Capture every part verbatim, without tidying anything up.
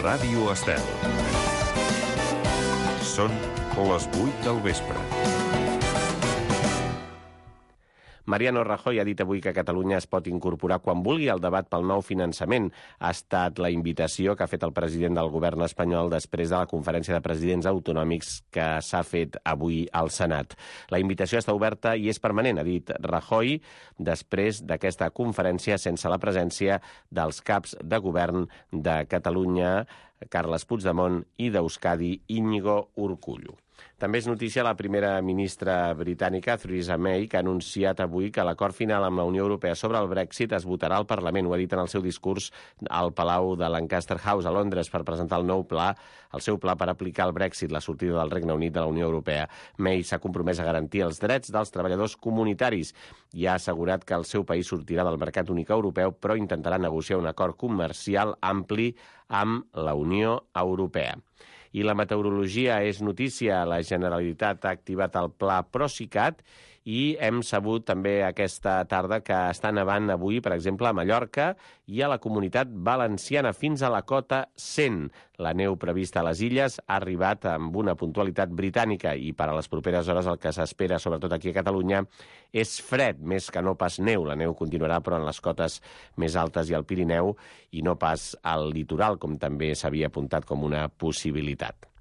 Ràdio Estel. Són les vuit del vespre. Mariano Rajoy ha dit avui que Catalunya es pot incorporar quan vulgui al debat pel nou finançament. Ha estat la invitació que ha fet el president del govern espanyol després de la conferència de presidents autonòmics que s'ha fet avui al Senat. La invitació està oberta i és permanent, ha dit Rajoy, després d'aquesta conferència sense la presència dels caps de govern de Catalunya, Carles Puigdemont, i d'Euskadi, Íñigo Urkullu. També és notícia la primera ministra britànica, Theresa May, que ha anunciat avui que l'acord final amb la Unió Europea sobre el Brexit es votarà al Parlament. Ho ha dit en el seu discurs al Palau de Lancaster House, a Londres, per presentar el nou pla, el seu pla per aplicar el Brexit, la sortida del Regne Unit de la Unió Europea. May s'ha compromès a garantir els drets dels treballadors comunitaris i ha assegurat que el seu país sortirà del mercat únic europeu, però intentarà negociar un acord comercial ampli amb la Unió Europea. I la meteorologia és notícia. La Generalitat ha activat el pla Procicat i hem sabut també aquesta tarda que està nevant avui, per exemple, a Mallorca i a la Comunitat Valenciana fins a la cota cent. La neu prevista a les illes ha arribat amb una puntualitat britànica i per a les properes hores el que s'espera, sobretot aquí a Catalunya, és fred, més que no pas neu. La neu continuarà, però en les cotes més altes i al Pirineu i no pas al litoral, com també s'havia apuntat com una possibilitat.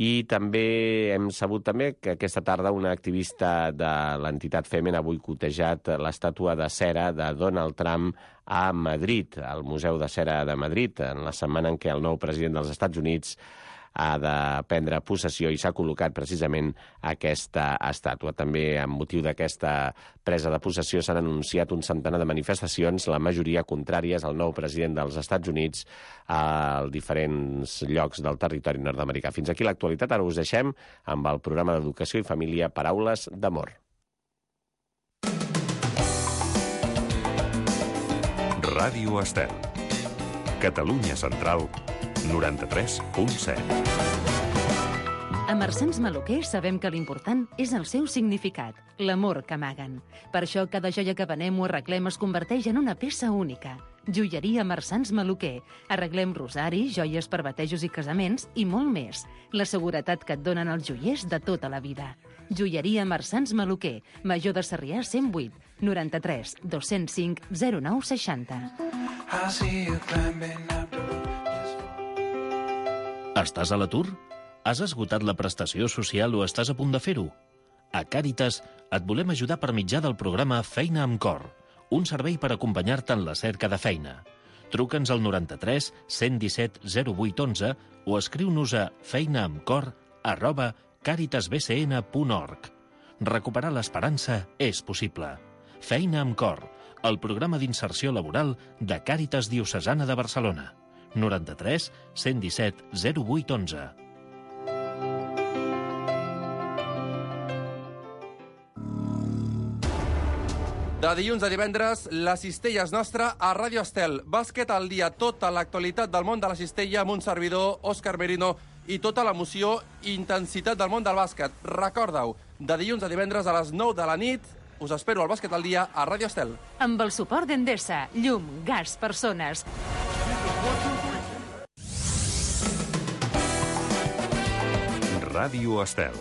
I també hem sabut també que aquesta tarda una activista de l'entitat Femen ha boicotejat l'estàtua de cera de Donald Trump a Madrid, al Museu de Cera de Madrid, en la setmana en què el nou president dels Estats Units ha de prendre possessió i s'ha col·locat precisament aquesta estàtua. També, amb motiu d'aquesta presa de possessió, s'han anunciat un centenar de manifestacions, la majoria contràries al nou president dels Estats Units a diferents llocs del territori nord-americà. Fins aquí l'actualitat. Ara us deixem amb el programa d'Educació i Família Paraules d'Amor. Ràdio Estel. Catalunya Central, noranta-tres punt set. A Marsans Maluquer sabem que l'important és el seu significat, l'amor que amaguen. Per això cada joia que venem o arreglem es converteix en una peça única. Joieria Marsans Maluquer. Arreglem rosaris, joies per batejos i casaments i molt més. La seguretat que et donen els joiers de tota la vida. Joieria Marsans Maluquer. Major de Sarrià cent vuit, noranta-tres, dos-cents cinc, zero nou seixanta. Estàs a l'atur? Has esgotat la prestació social o estàs a punt de fer-ho? A Càritas et volem ajudar per mitjà del programa Feina amb Cor, un servei per acompanyar-te en la cerca de feina. Truca'ns al noranta-tres, cent disset, zero vuit onze o escriu-nos a feinaamcor arroba càritasbcn punt org. Recuperar l'esperança és possible. Feina amb Cor, el programa d'inserció laboral de Càritas Diocesana de Barcelona. noranta-tres, cent disset, zero vuit onze. De dilluns a divendres, la cistella és nostra a Ràdio Estel. Bàsquet al dia, tota l'actualitat del món de la cistella amb un servidor, Òscar Merino, i tota l'emoció i intensitat del món del bàsquet. Recorda-ho, de dilluns a divendres a les nou de la nit, us espero al Bàsquet al dia a Ràdio Estel. Amb el suport d'Endesa, llum, gas, persones. Ràdio Estel.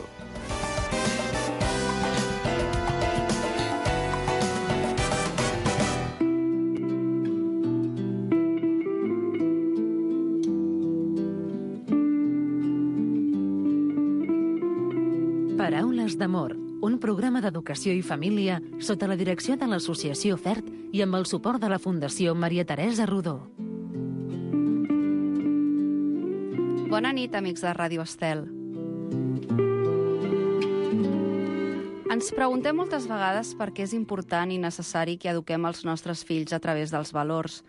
Paraules d'amor, un programa d'educació i família sota la direcció de l'Associació FERT i amb el suport de la Fundació Maria Teresa Rodó. Bona nit, amics de Ràdio Estel. Ens preguntem moltes vegades per què és important i necessari que eduquem els nostres fills a través dels valors.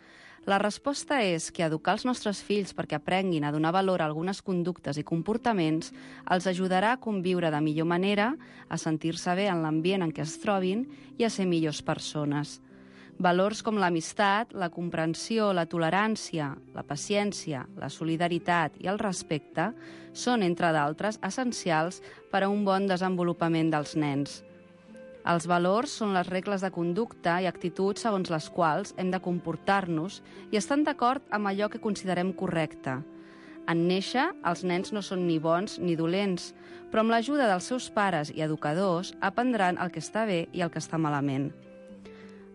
La resposta és que educar els nostres fills perquè aprenguin a donar valor a algunes conductes i comportaments els ajudarà a conviure de millor manera, a sentir-se bé en l'ambient en què es trobin i a ser millors persones. Valors com l'amistat, la comprensió, la tolerància, la paciència, la solidaritat i el respecte són, entre d'altres, essencials per a un bon desenvolupament dels nens. Els valors són les regles de conducta i actituds segons les quals hem de comportar-nos i estan d'acord amb allò que considerem correcte. En néixer, els nens no són ni bons ni dolents, però amb l'ajuda dels seus pares i educadors aprendran el que està bé i el que està malament.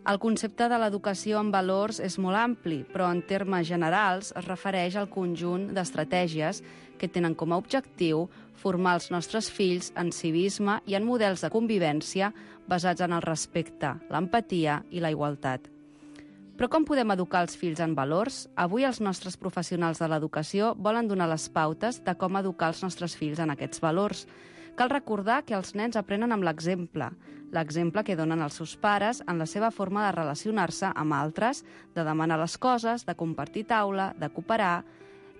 El concepte de l'educació en valors és molt ampli, però en termes generals es refereix al conjunt d'estratègies que tenen com a objectiu formar els nostres fills en civisme i en models de convivència basats en el respecte, l'empatia i la igualtat. Però com podem educar els fills en valors? Avui els nostres professionals de l'educació volen donar les pautes de com educar els nostres fills en aquests valors. Cal recordar que els nens aprenen amb l'exemple, l'exemple que donen els seus pares en la seva forma de relacionar-se amb altres, de demanar les coses, de compartir taula, de cooperar,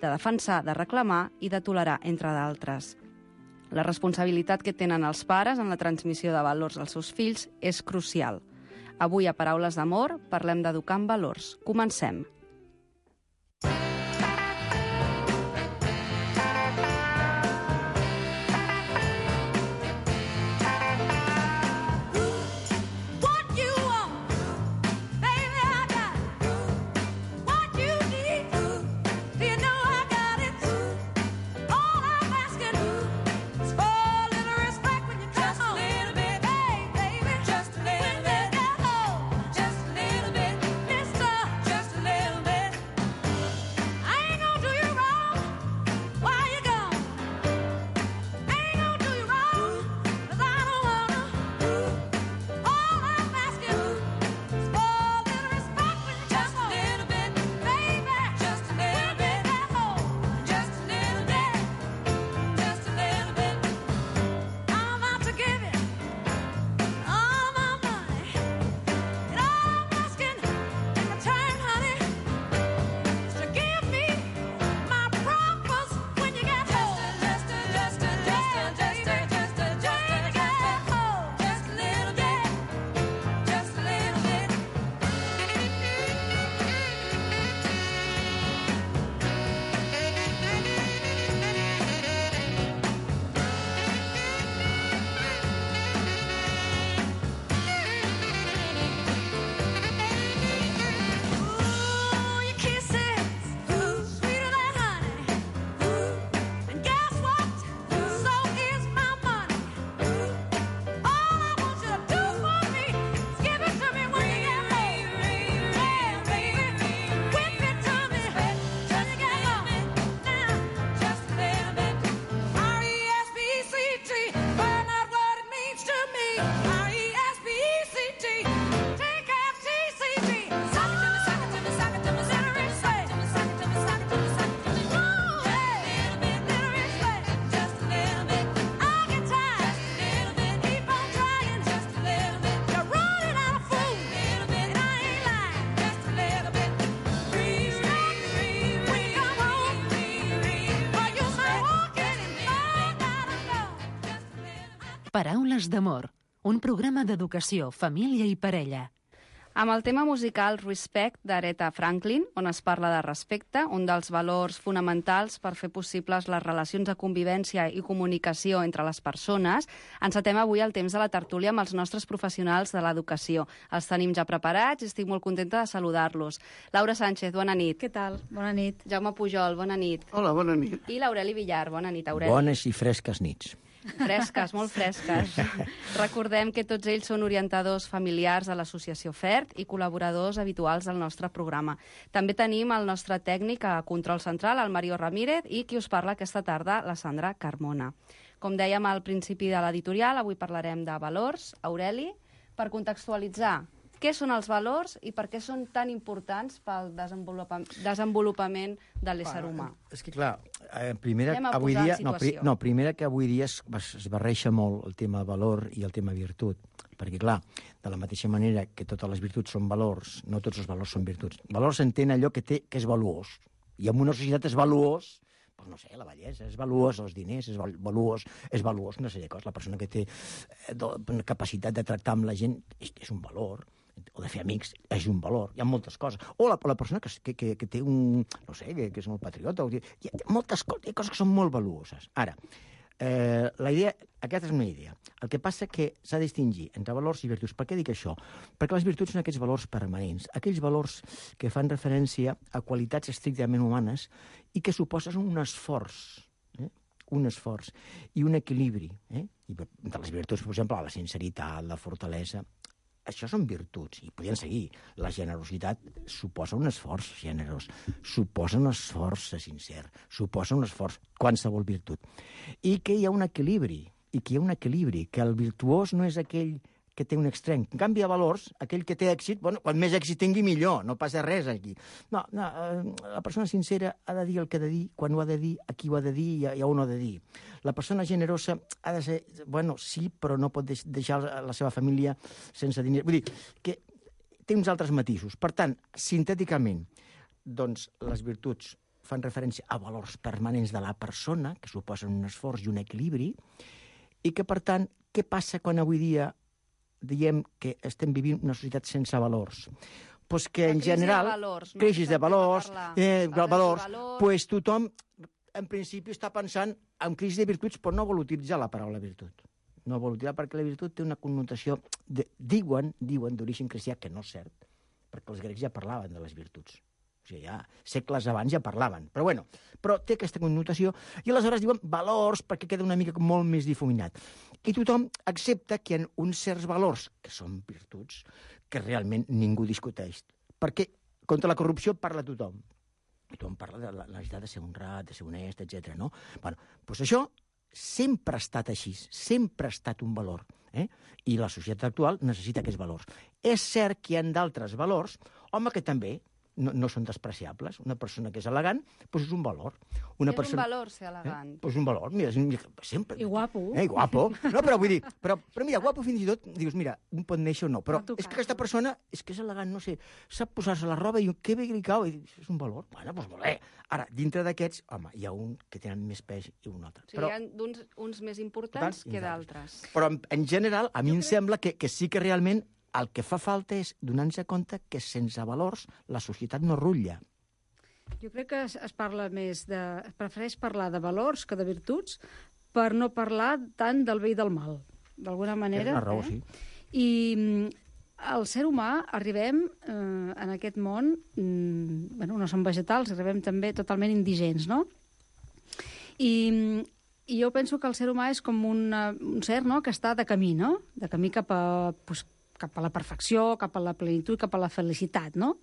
de defensar, de reclamar i de tolerar, entre d'altres. La responsabilitat que tenen els pares en la transmissió de valors als seus fills és crucial. Avui, a Paraules d'Amor, parlem d'educar en valors. Comencem. Paraules d'Amor, un programa d'educació, família i parella. Amb el tema musical Respect d'Aretha Franklin, on es parla de respecte, un dels valors fonamentals per fer possibles les relacions de convivència i comunicació entre les persones, encetem avui el temps de la tertúlia amb els nostres professionals de l'educació. Els tenim ja preparats i estic molt contenta de saludar-los. Laura Sánchez, bona nit. Què tal? Bona nit. Jaume Pujol, bona nit. Hola, bona nit. I l'Aureli Villar, bona nit, Aureli. Bones i fresques nits. Fresques, molt fresques. Recordem que tots ells són orientadors familiars de l'Associació FERT i col·laboradors habituals del nostre programa. També tenim el nostre tècnic a Control Central, el Mario Ramírez, i qui us parla aquesta tarda, la Sandra Carmona. Com dèiem al principi de l'editorial, avui parlarem de valors. Aureli, per contextualitzar, què són els valors i per què són tan importants pel desenvolupament de l'ésser humà? És que, clar, eh, primera, Anem a avui posar dia, en no, pri, situació. no, primera que avui dia es, es barreja molt el tema valor i el tema virtut. Perquè, clar, de la mateixa manera que totes les virtuts són valors, no tots els valors són virtuts. Valors s'entén allò que té que és valuós. I en una societat és valuós, doncs no sé, la bellesa és valuós, els diners és valuós, és valuós una sèrie de coses. La persona que té eh, do, capacitat de tractar amb la gent és, és un valor, o de fer amics, és un valor. Hi ha moltes coses. O la, la persona que, que, que té un... no sé, que, que és molt patriota. O, hi ha moltes coses, hi ha coses que són molt valuoses. Ara, Eh, la idea, aquesta és una idea. El que passa que s'ha de distingir entre valors i virtuts. Per què dic això? Perquè les virtuts són aquests valors permanents, aquells valors que fan referència a qualitats estrictament humanes i que suposen un esforç, eh? un esforç i un equilibri. Eh? I de les virtuts, per exemple, la sinceritat, la fortalesa, això són virtuts, i podien seguir. La generositat suposa un esforç generós, suposa un esforç sincer, suposa un esforç, qualsevol virtut. I que hi ha un equilibri, i que hi ha un equilibri, que el virtuós no és aquell que té un extrem. En canvi, a valors, aquell que té èxit, bueno, quan més èxit tingui, millor, no passa res aquí. No, no, la persona sincera ha de dir el que ha de dir, quan ho ha de dir, a qui ho ha de dir i a, i a on ho ha de dir. La persona generosa ha de ser, bueno, sí, però no pot deixar la seva família sense diners. Vull dir, que té uns altres matisos. Per tant, sintèticament, doncs, les virtuts fan referència a valors permanents de la persona, que suposen un esforç i un equilibri, i que, per tant, què passa quan avui dia diem que estem vivint una societat sense valors? Pues que, en general, crisi de valors, eh, valors, pues tothom, en principi, està pensant en crisi de virtuts, però no vol utilitzar la paraula virtut. No vol utilitzar perquè la virtut té una connotació, de, diuen, diuen d'origen cristià, que no és cert, perquè els grecs ja parlaven de les virtuts. O sigui, ja segles abans ja parlaven. Però bueno, però té aquesta connotació i aleshores diuen valors perquè queda una mica molt més difuminat. I tothom accepta que hi ha uns certs valors, que són virtuts, que realment ningú discuteix. Perquè contra la corrupció parla tothom. I tothom parla de la necessitat de ser honrat, de ser honest, etcètera. No? Bueno, doncs això sempre ha estat així, sempre ha estat un valor. Eh? I la societat actual necessita aquests valors. És cert que hi ha d'altres valors, home, que també no, no són despreciables. Una persona que és elegant, doncs és un valor. Una és persona... un valor ser elegant. Eh? Doncs un valor, mira, sempre... I guapo. Eh, I guapo. No, però vull dir, però, però mira, guapo fins i tot, dius, mira, un pot néixer o no, però és que aquesta persona és que és elegant, no sé, sap posar-se la roba i que bé que li cau, i dius, és un valor. Bueno, doncs molt bé. Ara, dintre d'aquests, home, hi ha un que tenen més pes i un altre. O sigui, però... hi ha uns, uns més importants que d'altres. Però, en, en general, a mi jo em crec... sembla que, que sí que realment el que fa falta és donar-nos compte que sense valors la societat no rutlla. Jo crec que es, es parla més de... Es prefereix parlar de valors que de virtuts per no parlar tant del bé i del mal, d'alguna manera. És una raó, eh? sí. I el ser humà arribem eh, en aquest món, mm, bueno, no som vegetals, arribem també totalment indigents, no? I, i jo penso que el ser humà és com una, un ser, no?, que està de camí, no?, de camí cap a... Pues, cap a la perfecció, cap a la plenitud, cap a la felicitat, no?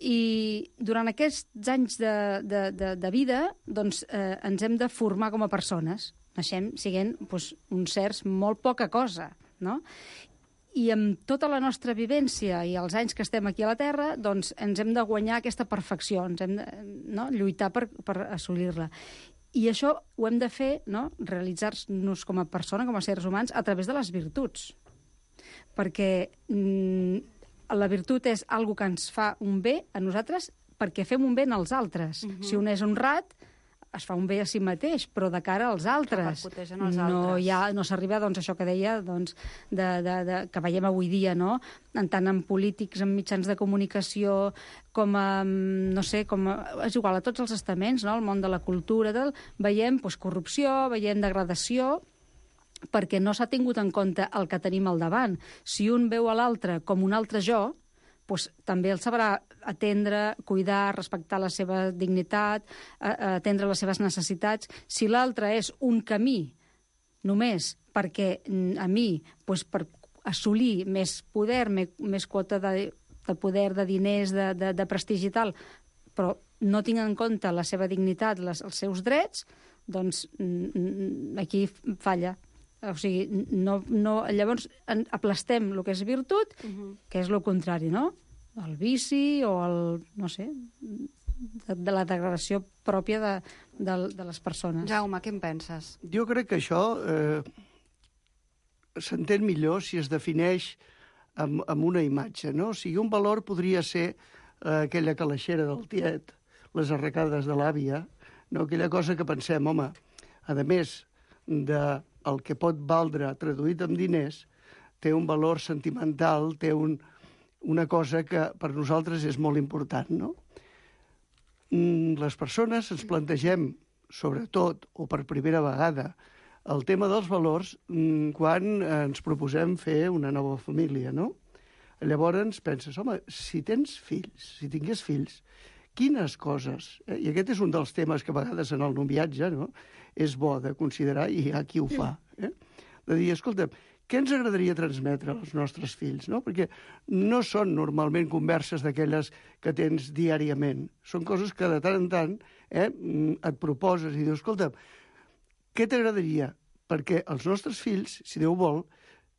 I durant aquests anys de, de, de, de vida, doncs, eh, ens hem de formar com a persones. Naixem siguent doncs, uns certs molt poca cosa, no? I amb tota la nostra vivència i els anys que estem aquí a la Terra, doncs ens hem de guanyar aquesta perfecció, ens hem de, no?, lluitar per, per assolir-la. I això ho hem de fer, no?, realitzar-nos com a persona, com a seres humans, a través de les virtuts. Perquè mm, la virtut és algo que ens fa un bé a nosaltres perquè fem un bé als altres. Uh-huh. Si un és honrat, es fa un bé a si mateix, però de cara als altres. Els no, altres. hi ha, no s'arriba doncs, a això que deia, doncs, de, de, de, que veiem avui dia, no? En tant en polítics, en mitjans de comunicació, com a, no sé, com a, és igual, a tots els estaments, no? El món de la cultura, del, veiem doncs, corrupció, veiem degradació, perquè no s'ha tingut en compte el que tenim al davant. Si un veu a l'altre com un altre jo, doncs també el sabrà atendre, cuidar, respectar la seva dignitat, atendre les seves necessitats. Si l'altre és un camí només perquè a mi, doncs per assolir més poder, més quota de, de poder, de diners, de, de, de prestigi i tal, però no tinc en compte la seva dignitat, les, els seus drets, doncs aquí falla. O sigui, no, no, llavors aplastem el que és virtut, uh-huh. que és el contrari, no? El vici o el, no sé, de, de la degradació pròpia de, de, de les persones. Jaume, què en penses? Jo crec que això eh, s'entén millor si es defineix amb, amb una imatge, no? O sigui, un valor podria ser eh, aquella calaixera del tiet, les arracades de l'àvia, no? Aquella cosa que pensem, home, a més de el que pot valdre traduït en diners, té un valor sentimental, té un, una cosa que per nosaltres és molt important, no? Les persones ens plantegem, sobretot, o per primera vegada, el tema dels valors quan ens proposem fer una nova família, no? Llavors penses, home, si tens fills, si tingués fills, quines coses, eh? I aquest és un dels temes que a vegades en el noviatge, no?, és bo de considerar, i hi ha qui ho fa, eh? De dir, escolta, què ens agradaria transmetre als nostres fills, no? Perquè no són normalment converses d'aquelles que tens diàriament. Són coses que de tant en tant eh, et proposes i dius, escolta, què t'agradaria? Perquè els nostres fills, si Déu vol,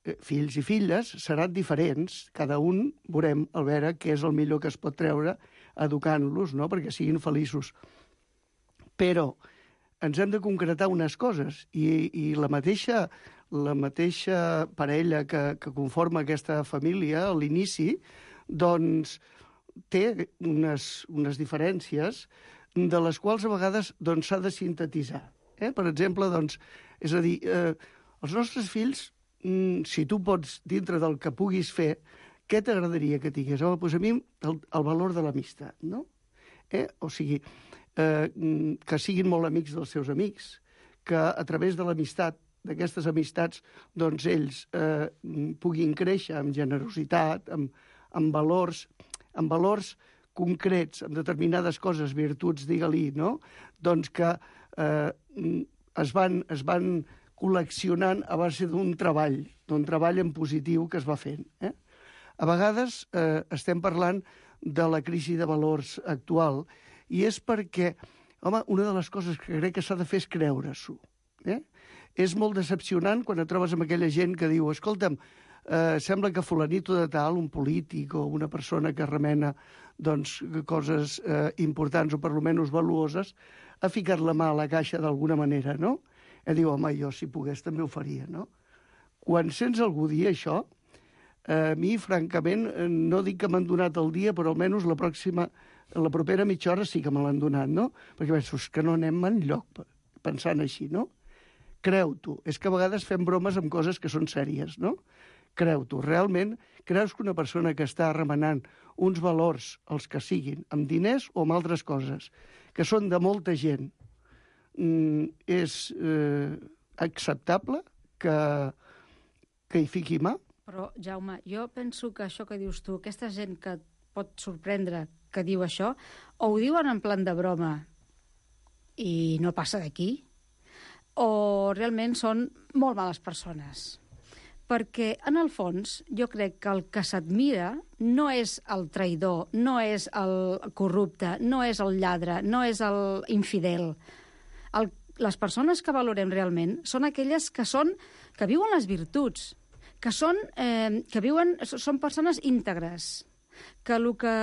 eh, fills i filles, seran diferents. Cada un veurem al veure què és el millor que es pot treure educant-los, no?, perquè siguin feliços. Però ens hem de concretar unes coses i, i la mateixa, la mateixa parella que, que conforma aquesta família a l'inici, doncs té unes, unes diferències de les quals a vegades doncs, s'ha de sintetitzar. Eh? Per exemple, doncs, és a dir, eh, els nostres fills, mm, si tu pots, dintre del que puguis fer, què t'agradaria que tingués? Home, doncs a mi el, el valor de l'amistat, no? Eh? O sigui, eh, que siguin molt amics dels seus amics, que a través de l'amistat, d'aquestes amistats, doncs ells eh, puguin créixer amb generositat, amb, amb valors, amb valors concrets, amb determinades coses, virtuts, digue-li, no? Doncs que eh, es, van, es van col·leccionant a base d'un treball, d'un treball en positiu que es va fent. Eh? A vegades eh, estem parlant de la crisi de valors actual i és perquè, home, una de les coses que crec que s'ha de fer és creure-s'ho. Eh? És molt decepcionant quan et trobes amb aquella gent que diu, escolta'm, eh, sembla que fulanito de tal, un polític o una persona que remena doncs, coses eh, importants o per almenys valuoses, ha ficat la mà a la caixa d'alguna manera, no? I diu, home, jo si pogués també ho faria, no? Quan sents algú dir això, a mi, francament, no dic que m'han donat el dia, però almenys la pròxima, la propera mitja hora sí que me l'han donat, no? Perquè penso, que no anem enlloc pensant així, no? Creu-t'ho. És que a vegades fem bromes amb coses que són sèries, no? Creu-t'ho. Realment, creus que una persona que està remenant uns valors, els que siguin, amb diners o amb altres coses, que són de molta gent, és eh, acceptable que, que hi fiqui mà? Però, Jaume, jo penso que això que dius tu, aquesta gent que et pot sorprendre que diu això, o ho diuen en plan de broma i no passa d'aquí, o realment són molt males persones. Perquè, en el fons, jo crec que el que s'admira no és el traïdor, no és el corrupte, no és el lladre, no és el infidel. El, les persones que valorem realment són aquelles que són que viuen les virtuts, que són, eh, que viuen, són persones íntegres, que el que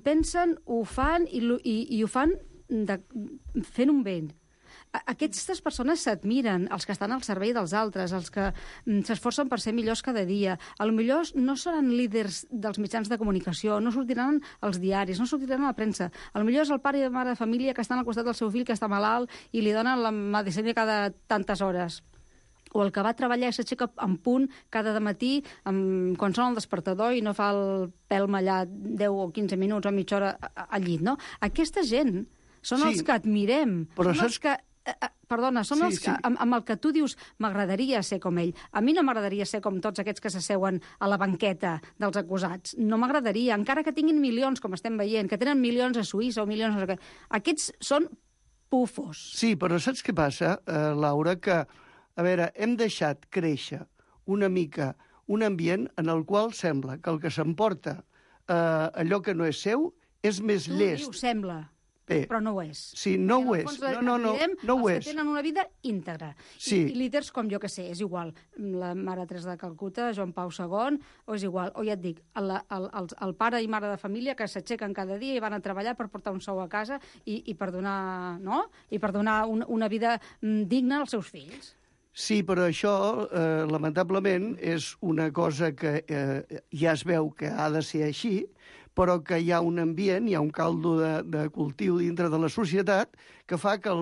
pensen ho fan i, i, i ho fan de, fent un bé. Aquestes persones s'admiren, els que estan al servei dels altres, els que s'esforcen per ser millors cada dia. A lo millor no seran líders dels mitjans de comunicació, no sortiran als diaris, no sortiran a la premsa. A lo millor és el pare i la mare de família que estan al costat del seu fill que està malalt i li donen la medicina cada tantes hores. O el que va treballar i s'aixeca en punt cada matí amb, quan sona el despertador i no fa el pèl mallat deu o quinze minuts o mitja hora al llit, no? Aquesta gent són sí, els que admirem, són saps... els que... Eh, perdona, són sí, els que, sí. amb, amb el que tu dius m'agradaria ser com ell. A mi no m'agradaria ser com tots aquests que s'asseuen a la banqueta dels acusats. No m'agradaria, encara que tinguin milions, com estem veient, que tenen milions a Suïssa o milions... A... Aquests són pufos. Sí, però saps què passa, eh, Laura? Que, a veure, hem deixat créixer una mica un ambient en el qual sembla que el que s'emporta eh, allò que no és seu és més tu llest. Tu dius, sembla. Bé, però no ho és. Sí, no ho és. No, no, no, no ho és. Els que tenen una vida íntegra. Sí. I, I líders com jo que sé, és igual. La Mare Teresa de Calcuta, Joan Pau segon, o és igual. O ja et dic, el, el, el, el pare i mare de família que s'aixequen cada dia i van a treballar per portar un sou a casa i, i per donar, no? I per donar un, una vida digna als seus fills. Sí, però això, eh, lamentablement, és una cosa que eh, ja es veu que ha de ser així, però que hi ha un ambient, hi ha un caldo de, de cultiu dintre de la societat que fa que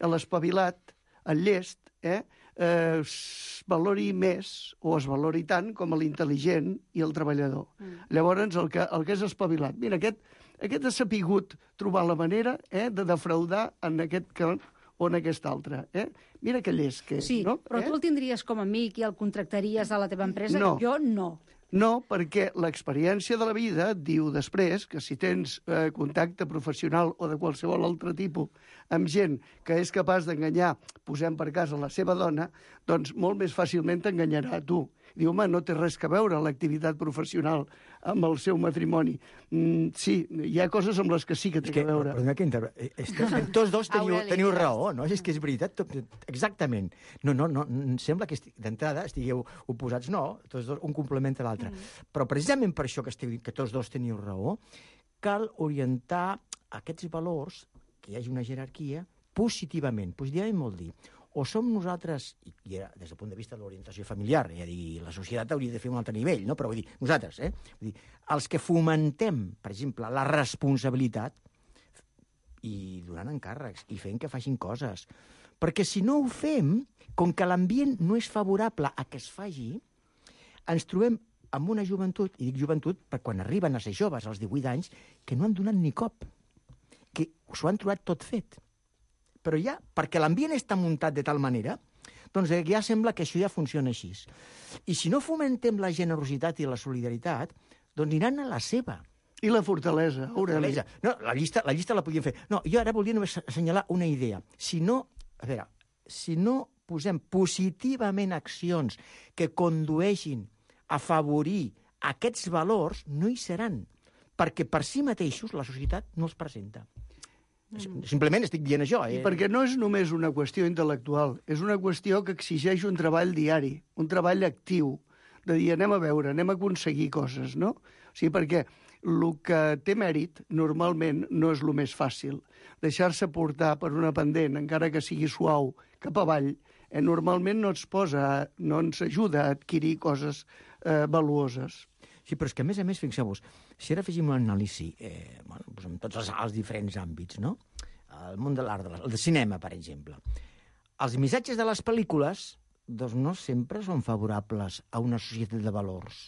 l'espavilat, el llest, eh, eh, es valori més o es valori tant com l'intel·ligent i el treballador. Mm. Llavors, el que, el que és espavilat. Mira, aquest, aquest ha sapigut trobar la manera eh, de defraudar en aquest que o en aquest altre. Eh? Mira que llest que és, Sí, no? però eh? tu el tindries com a amic i el contractaries a la teva empresa? No. Jo no. No, perquè l'experiència de la vida et diu després que si tens eh, contacte professional o de qualsevol altre tipus amb gent que és capaç d'enganyar, posem per cas a la seva dona, doncs molt més fàcilment t'enganyarà a tu. Diu, home, no té res que veure l'activitat professional amb el seu matrimoni. Mm, sí, hi ha coses amb les que sí que té que, que veure. Perdona que inter... Tots dos teniu, Aureli, teniu diràs. raó, no? És que és veritat, tot, exactament. No, no, no, em sembla que esti- d'entrada estigueu oposats, no, tots dos, un complementa l'altre. Mm. Però precisament per això que, esteu, que tots dos teniu raó, cal orientar aquests valors, que hi hagi una jerarquia, positivament. Positivament vol dir, o som nosaltres, i, i era, des del punt de vista de l'orientació familiar, ja dir, la societat hauria de fer un altre nivell, no? Però vull dir, nosaltres, eh? Vull dir, els que fomentem, per exemple, la responsabilitat i donant encàrrecs i fent que facin coses. Perquè si no ho fem, com que l'ambient no és favorable a que es faci, ens trobem amb una joventut, i dic joventut perquè quan arriben a ser joves, als divuit anys, que no han donat ni cop, que s'ho han trobat tot fet. Però ja, perquè l'ambient està muntat de tal manera, doncs ja sembla que això ja funciona així. I si no fomentem la generositat i la solidaritat, doncs aniran a la seva. I la fortalesa, Aureli. No, la llista, la llista la podíem fer. No, jo ara volia només assenyalar una idea. Si no, a veure, si no posem positivament accions que condueixin a afavorir aquests valors, no hi seran. Perquè per si mateixos la societat no els presenta. Mm. Simplement estic dient això. Eh? I perquè no és només una qüestió intel·lectual, és una qüestió que exigeix un treball diari, un treball actiu, de dir, anem a veure, anem a aconseguir coses, no? O sigui, perquè el que té mèrit, normalment, no és el més fàcil. Deixar-se portar per una pendent, encara que sigui suau, cap avall, eh, normalment no ens posa, no ens ajuda a adquirir coses eh, valuoses. Sí, però és que, a més a més, fixeu-vos, si ara féssim una anàlisi eh, bueno, doncs en tots els, els diferents àmbits, no? El món de l'art, el de cinema, per exemple. Els missatges de les pel·lícules doncs no sempre són favorables a una societat de valors.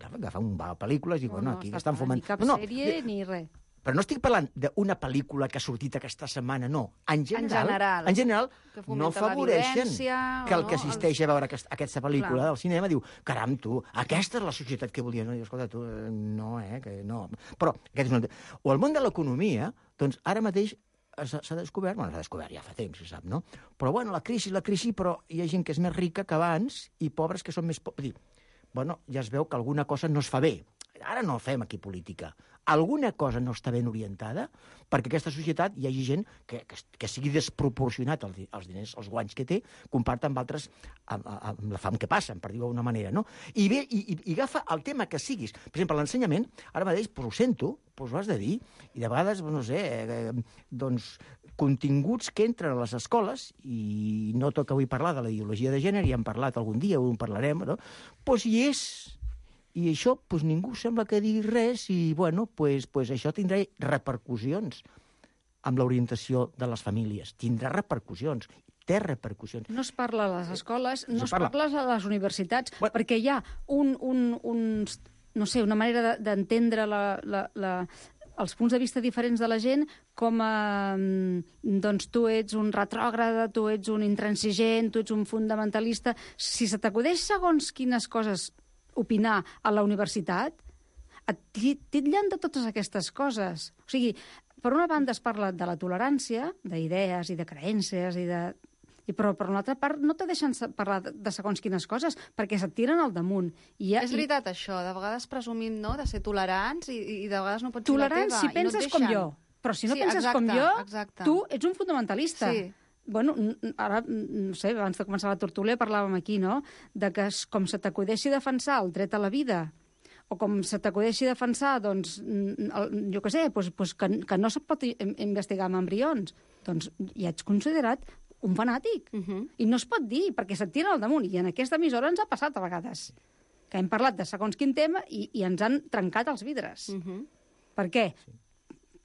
Agafar una pel·lícula i dir, bueno, aquí estan fumant... Ni cap no, sèrie ni res. Però no estic parlant d'una pel·lícula que ha sortit aquesta setmana, no. En general, En general. en general Que no fomenta la afavoreixen violència, que el o que no, assisteix els- a veure aquesta, aquesta pel·lícula Clar. del cinema diu, caram, tu, aquesta és la societat que volia. No? I, escolta, tu, eh, no, eh, que no. Però, aquest és un... O el món de l'economia, doncs ara mateix s'ha s'ha descobert, bueno, s'ha descobert ja fa temps, se sap, no? Però, bueno, la crisi, la crisi, però hi ha gent que és més rica que abans i pobres que són més pobres. Bueno, ja es veu que alguna cosa no es fa bé. Ara no fem aquí política. Alguna cosa no està ben orientada perquè aquesta societat hi hagi gent que, que, que sigui desproporcionat els, els diners, els guanys que té, comparat amb altres, amb, amb la fam que passen, per dir-ho d'alguna manera, no? I bé, i, i, i agafa el tema que siguis. Per exemple, l'ensenyament, ara mateix, pues, ho sento, pues, ho has de dir, i de vegades, no sé, eh, doncs, continguts que entren a les escoles, i no toca avui parlar de la ideologia de gènere, ja hem parlat algun dia, ho en parlarem, no? Pues hi és. I això, pues, ningú sembla que digui res i, bueno, pues, pues això tindrà repercussions amb l'orientació de les famílies. Tindrà repercussions. Té repercussions. No es parla a les escoles, no No es parla. parla a les universitats, Bueno. perquè hi ha un, un, un, no sé, una manera de- d'entendre la, la, la, els punts de vista diferents de la gent com a, mm, doncs tu ets un retrògrada, tu ets un intransigent, tu ets un fundamentalista. Si se t'acudeix segons quines coses opinar a la universitat, et ti- titllen de totes aquestes coses. O sigui, per una banda es parla de la tolerància, d'idees i de creences, i de... I però per una altra part no te deixen se- parlar de, de segons quines coses, perquè se't tiren al damunt. I ja, És veritat, això. De vegades presumim, no?, de ser tolerants i, i de vegades no pots ser Tolerant la teva. si i no et penses com deixen. jo. Però si no Sí, penses exacte, com jo, exacte. tu ets un fundamentalista. Sí. Bueno, n- n- ara, n- no sé, abans de començar la tertúlia parlàvem aquí, no?, de que es- com se t'acudeixi defensar el dret a la vida, o com se t'acudeixi defensar, doncs, n- el, jo què sé, doncs, doncs que, que no se pot i- investigar amb embrions, doncs ja ets considerat un fanàtic. Uh -huh. I no es pot dir, perquè se't tira al damunt. I en aquesta emissora ens ha passat a vegades, que hem parlat de segons quin tema i, i ens han trencat els vidres. Uh -huh. Per què?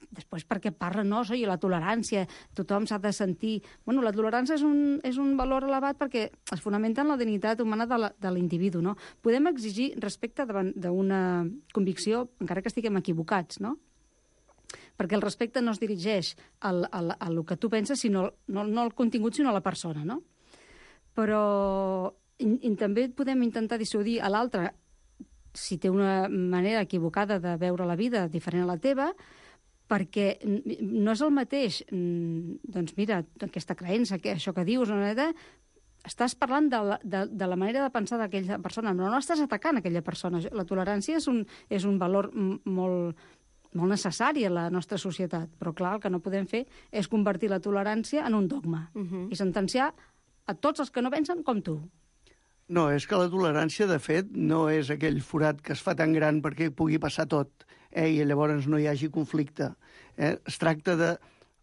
Després perquè parla, no, i la tolerància, tothom s'ha de sentir... Bueno, la tolerància és un, és un valor elevat perquè es fonamenta en la dignitat humana de la- de l'individu, no? Podem exigir respecte davant d'una convicció, encara que estiguem equivocats, no? perquè el respecte no es dirigeix al, al, al que tu penses, sinó no, no al contingut, sinó a la persona, no? Però i, i també podem intentar dissuadir a l'altre si té una manera equivocada de veure la vida diferent a la teva, perquè no és el mateix, doncs mira, aquesta creença, que això que dius, no, estàs parlant de la, de, de la manera de pensar d'aquella persona, però no estàs atacant aquella persona. La tolerància és un, és un valor molt, molt necessari a la nostra societat, però clar, el que no podem fer és convertir la tolerància en un dogma uh-huh. i sentenciar a tots els que no pensen com tu. No, és que la tolerància, de fet, no és aquell forat que es fa tan gran perquè pugui passar tot, eh, i llavors no hi hagi conflicte. Eh? Es tracta de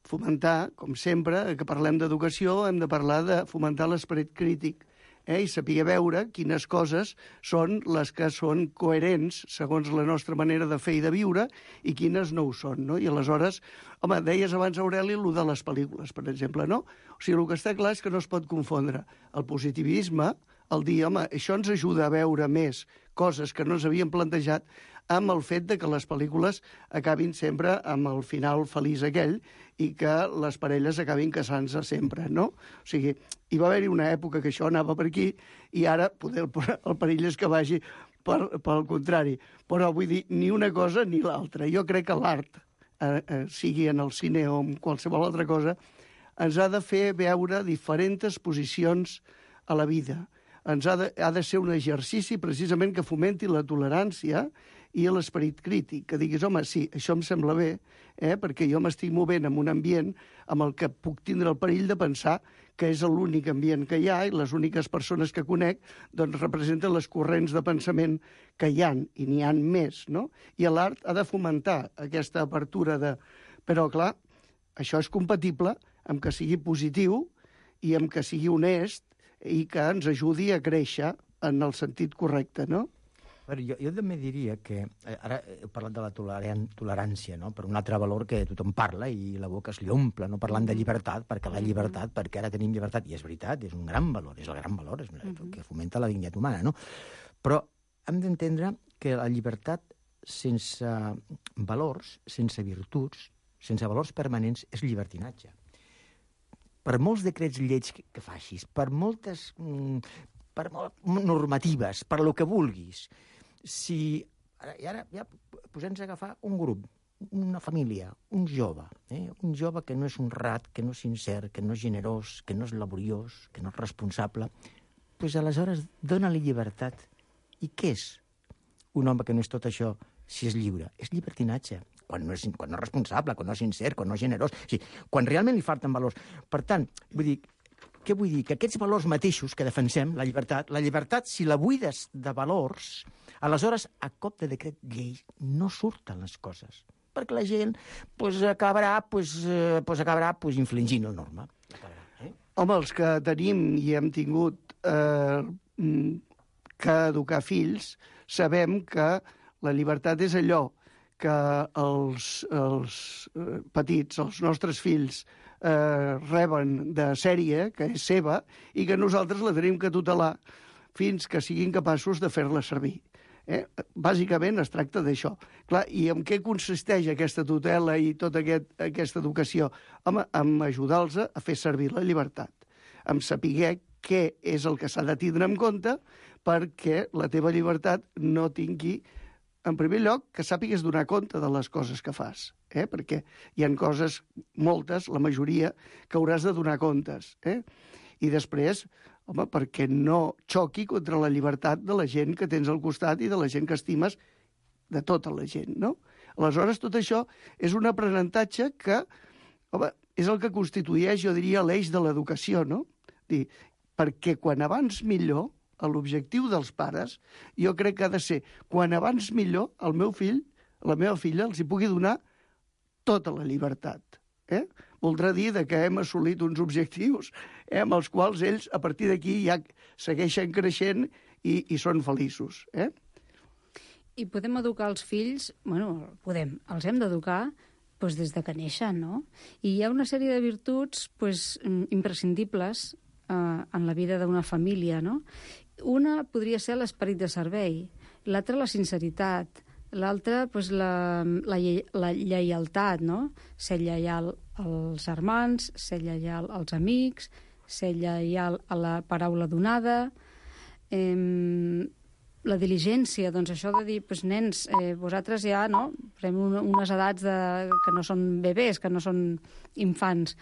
fomentar, com sempre, que parlem d'educació, hem de parlar de fomentar l'esperit crític, eh, i saber veure quines coses són les que són coherents segons la nostra manera de fer i de viure i quines no ho són, no? I aleshores, home, deies abans, Aureli, el de les pel·lícules, per exemple, no? O sigui, el que està clar és que no es pot confondre el positivisme, el dir, home, això ens ajuda a veure més coses que no ens havíem plantejat, amb el fet de que les pel·lícules acabin sempre amb el final feliç aquell i que les parelles acabin casant-se sempre, no? O sigui, hi va haver-hi una època que això anava per aquí i ara poder, el perill és que vagi per, pel contrari. Però vull dir, ni una cosa ni l'altra. Jo crec que l'art, eh, eh, sigui en el cine o en qualsevol altra cosa, ens ha de fer veure diferents posicions a la vida. Ens ha de, ha de ser un exercici precisament que fomenti la tolerància i l'esperit crític, que diguis, home, sí, això em sembla bé, eh, perquè jo m'estic movent en un ambient amb el que puc tindre el perill de pensar que és l'únic ambient que hi ha i les úniques persones que conec doncs representen les corrents de pensament que hi han, i n'hi han més, no? I l'art ha de fomentar aquesta apertura de... Però, clar, això és compatible amb que sigui positiu i amb que sigui honest i que ens ajudi a créixer en el sentit correcte, no? Però jo, jo també diria que... Eh, ara he parlat de la toleran, tolerància, no? Per un altre valor que tothom parla i la boca es li omple, no? Parlant de llibertat, perquè la llibertat, perquè ara tenim llibertat, i és veritat, és un gran valor, és el gran valor, és el que fomenta la dignitat humana, no? Però hem d'entendre que la llibertat sense valors, sense virtuts, sense valors permanents, és llibertinatge. Per molts decrets lleis que, que facis, per moltes... Mm, per normatives, per lo que vulguis, si... Ara, I ara ja posem-nos a agafar un grup, una família, un jove, eh? un jove que no és honrat, que no és sincer, que no és generós, que no és laboriós, que no és responsable, doncs aleshores dona-li llibertat. I què és un home que no és tot això si és lliure? És llibertinatge. Quan no és, quan no és responsable, quan no és sincer, quan no és generós, o sigui, quan realment li falten valors. Per tant, vull dir, què vull dir? Que aquests valors mateixos que defensem, la llibertat, la llibertat, si la buides de valors, aleshores, a cop de decret llei, no surten les coses. Perquè la gent pues, acabarà, pues, eh, pues, acabarà pues, infligint la norma. Eh? Home, els que tenim i hem tingut eh, que educar fills, sabem que la llibertat és allò que els, els eh, petits, els nostres fills, eh, reben de sèrie, que és seva, i que nosaltres la tenim que tutelar fins que siguin capaços de fer-la servir. Eh? Bàsicament es tracta d'això. Clar, i en què consisteix aquesta tutela i tota aquest, aquesta educació? Home, en ajudar-los a fer servir la llibertat, en saber què és el que s'ha de tindre en compte perquè la teva llibertat no tingui, en primer lloc, que sàpigues donar compte de les coses que fas, eh? Perquè hi ha coses, moltes, la majoria, que hauràs de donar comptes. Eh? I després, home, perquè no xoqui contra la llibertat de la gent que tens al costat i de la gent que estimes, de tota la gent, no? Aleshores, tot això és un aprenentatge que, home, és el que constitueix, jo diria, l'eix de l'educació, no? Dir, perquè quan abans millor, l'objectiu dels pares, jo crec que ha de ser, quan abans millor, el meu fill, la meva filla, els hi pugui donar tota la llibertat. Eh? Voldrà dir que hem assolit uns objectius eh, amb els quals ells, a partir d'aquí, ja segueixen creixent i, i són feliços. Eh? I podem educar els fills, bueno, podem, els hem d'educar doncs, des de que neixen, no? I hi ha una sèrie de virtuts doncs, imprescindibles eh, en la vida d'una família, no? Una podria ser l'esperit de servei, l'altra la sinceritat, L'altre, doncs, la, la, lle la lleialtat, no? Ser lleial als germans, ser lleial als amics, ser lleial a la paraula donada, eh, la diligència, doncs això de dir, doncs, nens, eh, vosaltres ja, no?, fem un, unes edats de, que no són bebès, que no són infants.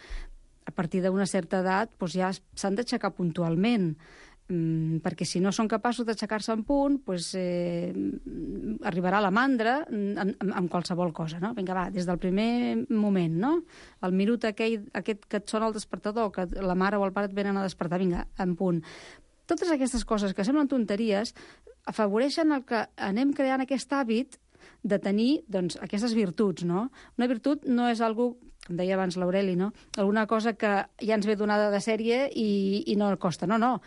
A partir d'una certa edat, doncs ja s'han d'aixecar puntualment, mm, perquè si no són capaços d'aixecar-se en punt, doncs, eh, arribarà la mandra amb, amb, amb qualsevol cosa, no? Vinga, va, des del primer moment, no? El minut aquell, aquest que et sona el despertador, que la mare o el pare et venen a despertar, vinga, en punt. Totes aquestes coses que semblen tonteries afavoreixen el que anem creant aquest hàbit de tenir, doncs, aquestes virtuts, no? Una virtut no és algo, com deia abans l'Aureli, no?, alguna cosa que ja ens ve donada de sèrie i, i no costa. No, no.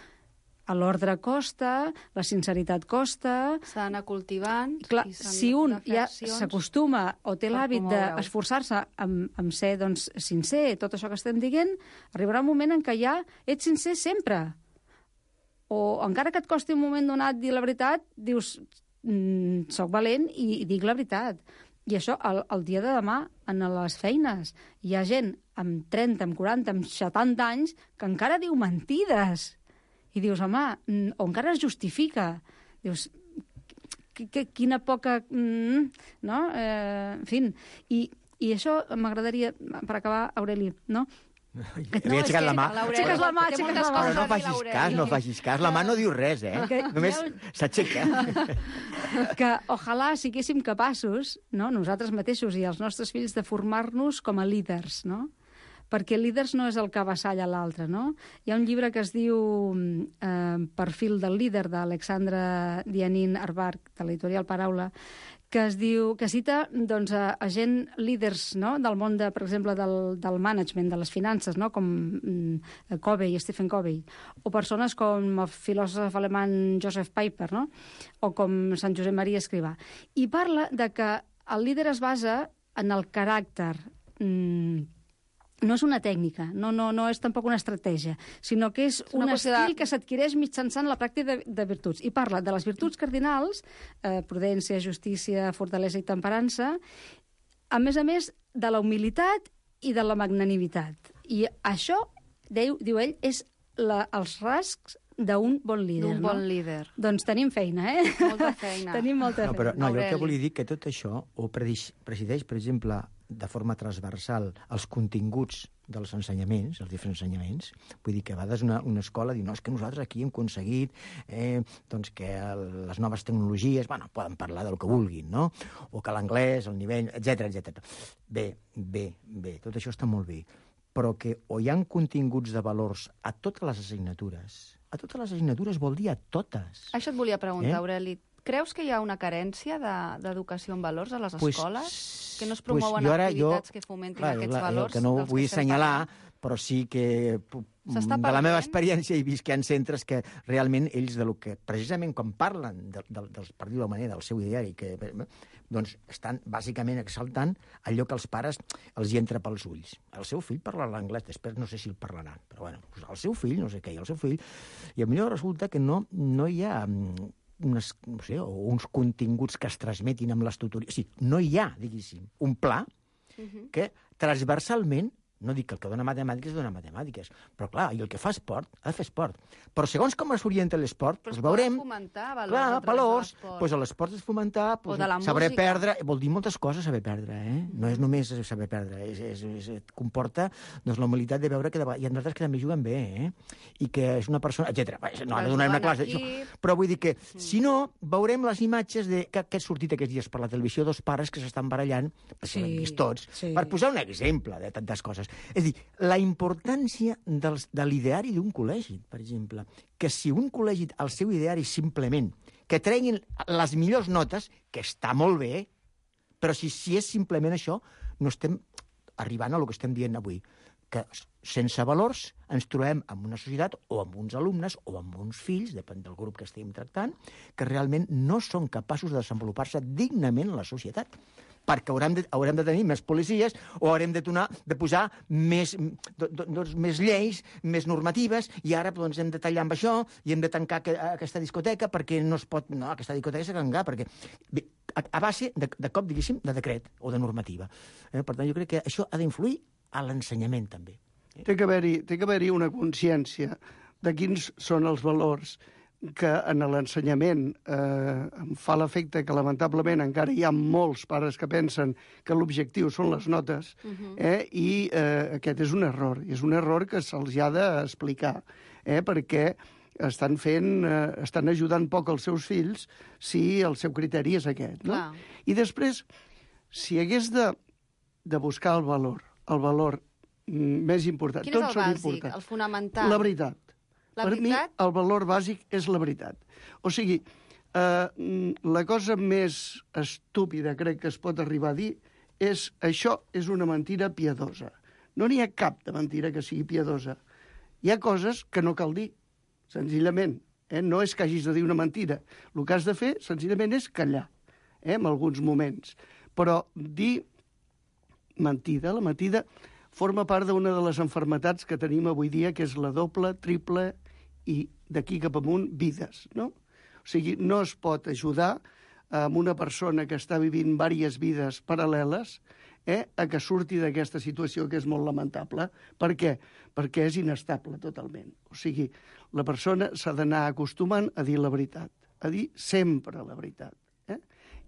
L'ordre costa, la sinceritat costa... S'ha d'anar cultivant... Clar, si un ja s'acostuma o té l'hàbit d'esforçar-se amb, amb ser, doncs, sincer, tot això que estem dient, arribarà un moment en què ja ets sincer sempre. O encara que et costi un moment donat dir la veritat, dius, mm, soc valent i, i dic la veritat. I això, el, el dia de demà, en les feines, hi ha gent amb trenta, amb quaranta, amb setanta anys que encara diu mentides. I dius, home, o encara es justifica. Dius, quina poca... Mm, no? Eh, en fi, i, i això m'agradaria, per acabar, Aureli, no?, Havia aixecat la mà. Aixeques la mà, aixeques la mà. Però no facis cas, no facis cas. La mà no diu res, eh? Només s'aixeca. Que ojalà siguéssim capaços, no?, nosaltres mateixos i els nostres fills, de formar-nos com a líders, no? Perquè líders no és el que avassalla l'altre, no? Hi ha un llibre que es diu eh, Perfil del líder, d'Alexandra Dianin Arbark, de l'editorial Paraula, que es diu, que cita, doncs, a, a gent líders, no?, del món, de, per exemple, del, del management, de les finances, no?, com mm, Covey, Stephen Covey, o persones com el filòsof alemany Joseph Piper, no?, o com Sant Josep Maria Escrivà. I parla de que el líder es basa en el caràcter. Mm, no és una tècnica, no, no, no és tampoc una estratègia, sinó que és un estil de... que s'adquireix mitjançant la pràctica de, de virtuts. I parla de les virtuts cardinals, eh, prudència, justícia, fortalesa i temperança, a més a més de la humilitat i de la magnanimitat. I això, diu, diu ell, és la, els rascs d'un bon líder. D'un bon no? líder. Doncs tenim feina, eh? Molta feina. Tenim molta no, però, feina. No, jo el que volia dir que tot això ho presideix, per exemple, de forma transversal els continguts dels ensenyaments, els diferents ensenyaments. Vull dir que a vegades una, una escola diu, no, és que nosaltres aquí hem aconseguit eh, doncs que el, les noves tecnologies, bueno, poden parlar del que vulguin, no? O que l'anglès, el nivell, etcètera, etcètera. Bé, bé, bé, tot això està molt bé, però que o hi ha continguts de valors a totes les assignatures, a totes les assignatures vol dir a totes. Això et volia preguntar, eh? Aureli. Creus que hi ha una carència d'educació de, en valors a les pues, escoles? Que no es promouen pues ara, activitats jo, que fomentin clar, aquests clar, valors? Que no ho vull assenyalar, parlant? però sí que de la meva experiència he vist que hi ha centres que realment ells, de lo que, precisament quan parlen, de, de, de, per dir-ho manera, del seu ideari, que, doncs estan bàsicament exaltant allò que els pares els hi entra pels ulls. El seu fill parla l'anglès, després no sé si el parlaran, però bueno, el seu fill, no sé què, el seu fill... I a millor resulta que no, no hi ha... Unes, no sé, o uns continguts que es transmetin amb les tutories. O sigui, no hi ha, diguéssim, un pla uh-huh. que transversalment, no dic que el que dona matemàtiques dona matemàtiques, però clar, i el que fa esport ha de fer esport. Però segons com es orienta l'esport, doncs veurem... fomentar valors. Clar, valors, doncs a l'esport és fomentar, doncs, saber música. perdre, vol dir moltes coses saber perdre, eh? No és només saber perdre, és, és, és, és, comporta doncs, la humilitat de veure que de, hi ha altres que també juguen bé, eh? I que és una persona, etcètera. No, ara donarem una classe, això. Però vull dir que, si no, veurem les imatges de, que, que ha sortit aquests dies per la televisió, dos pares que s'estan barallant, que sí, l'hem vist tots, sí. Per posar un exemple de tantes coses. És a dir, la importància dels, de l'ideari d'un col·legi, per exemple, que si un col·legi, el seu ideari simplement, que treguin les millors notes, que està molt bé, però si, si és simplement això, no estem arribant a lo que estem dient avui, que sense valors ens trobem en una societat o amb uns alumnes o amb uns fills, depèn del grup que estiguem tractant, que realment no són capaços de desenvolupar-se dignament en la societat, perquè haurem de, haurem de tenir més policies o haurem de, donar, de posar més, do, do, doncs, més lleis, més normatives, i ara doncs, hem de tallar amb això i hem de tancar que, aquesta discoteca perquè no es pot... No, aquesta discoteca s'ha de tancar, perquè bé, a, a base, de, de cop, diguéssim, de decret o de normativa. Eh? Per tant, jo crec que això ha d'influir a l'ensenyament, també. Eh? Té que haver-hi té que haver-hi una consciència de quins són els valors que en l'ensenyament eh, em fa l'efecte que, lamentablement, encara hi ha molts pares que pensen que l'objectiu són les notes, uh-huh. eh, i eh, aquest és un error. I és un error que se'ls ha d'explicar, eh, perquè estan fent, eh, estan ajudant poc els seus fills si el seu criteri és aquest. No? Clar. I després, si hagués de, de buscar el valor, el valor mm, més important... Quin és tots el són bàsic, importants. el fonamental? La veritat. La per veritat? mi, el valor bàsic és la veritat. O sigui, eh, la cosa més estúpida, crec que es pot arribar a dir, és això és una mentira piadosa. No n'hi ha cap de mentira que sigui piadosa. Hi ha coses que no cal dir, senzillament. Eh? No és que hagis de dir una mentira. El que has de fer, senzillament, és callar, eh? en alguns moments. Però dir mentida, la mentida forma part d'una de les enfermetats que tenim avui dia, que és la doble, triple i d'aquí cap amunt, vides, no? O sigui, no es pot ajudar amb una persona que està vivint diverses vides paral·leles eh, a que surti d'aquesta situació que és molt lamentable. Per què? Perquè és inestable totalment. O sigui, la persona s'ha d'anar acostumant a dir la veritat, a dir sempre la veritat. Eh?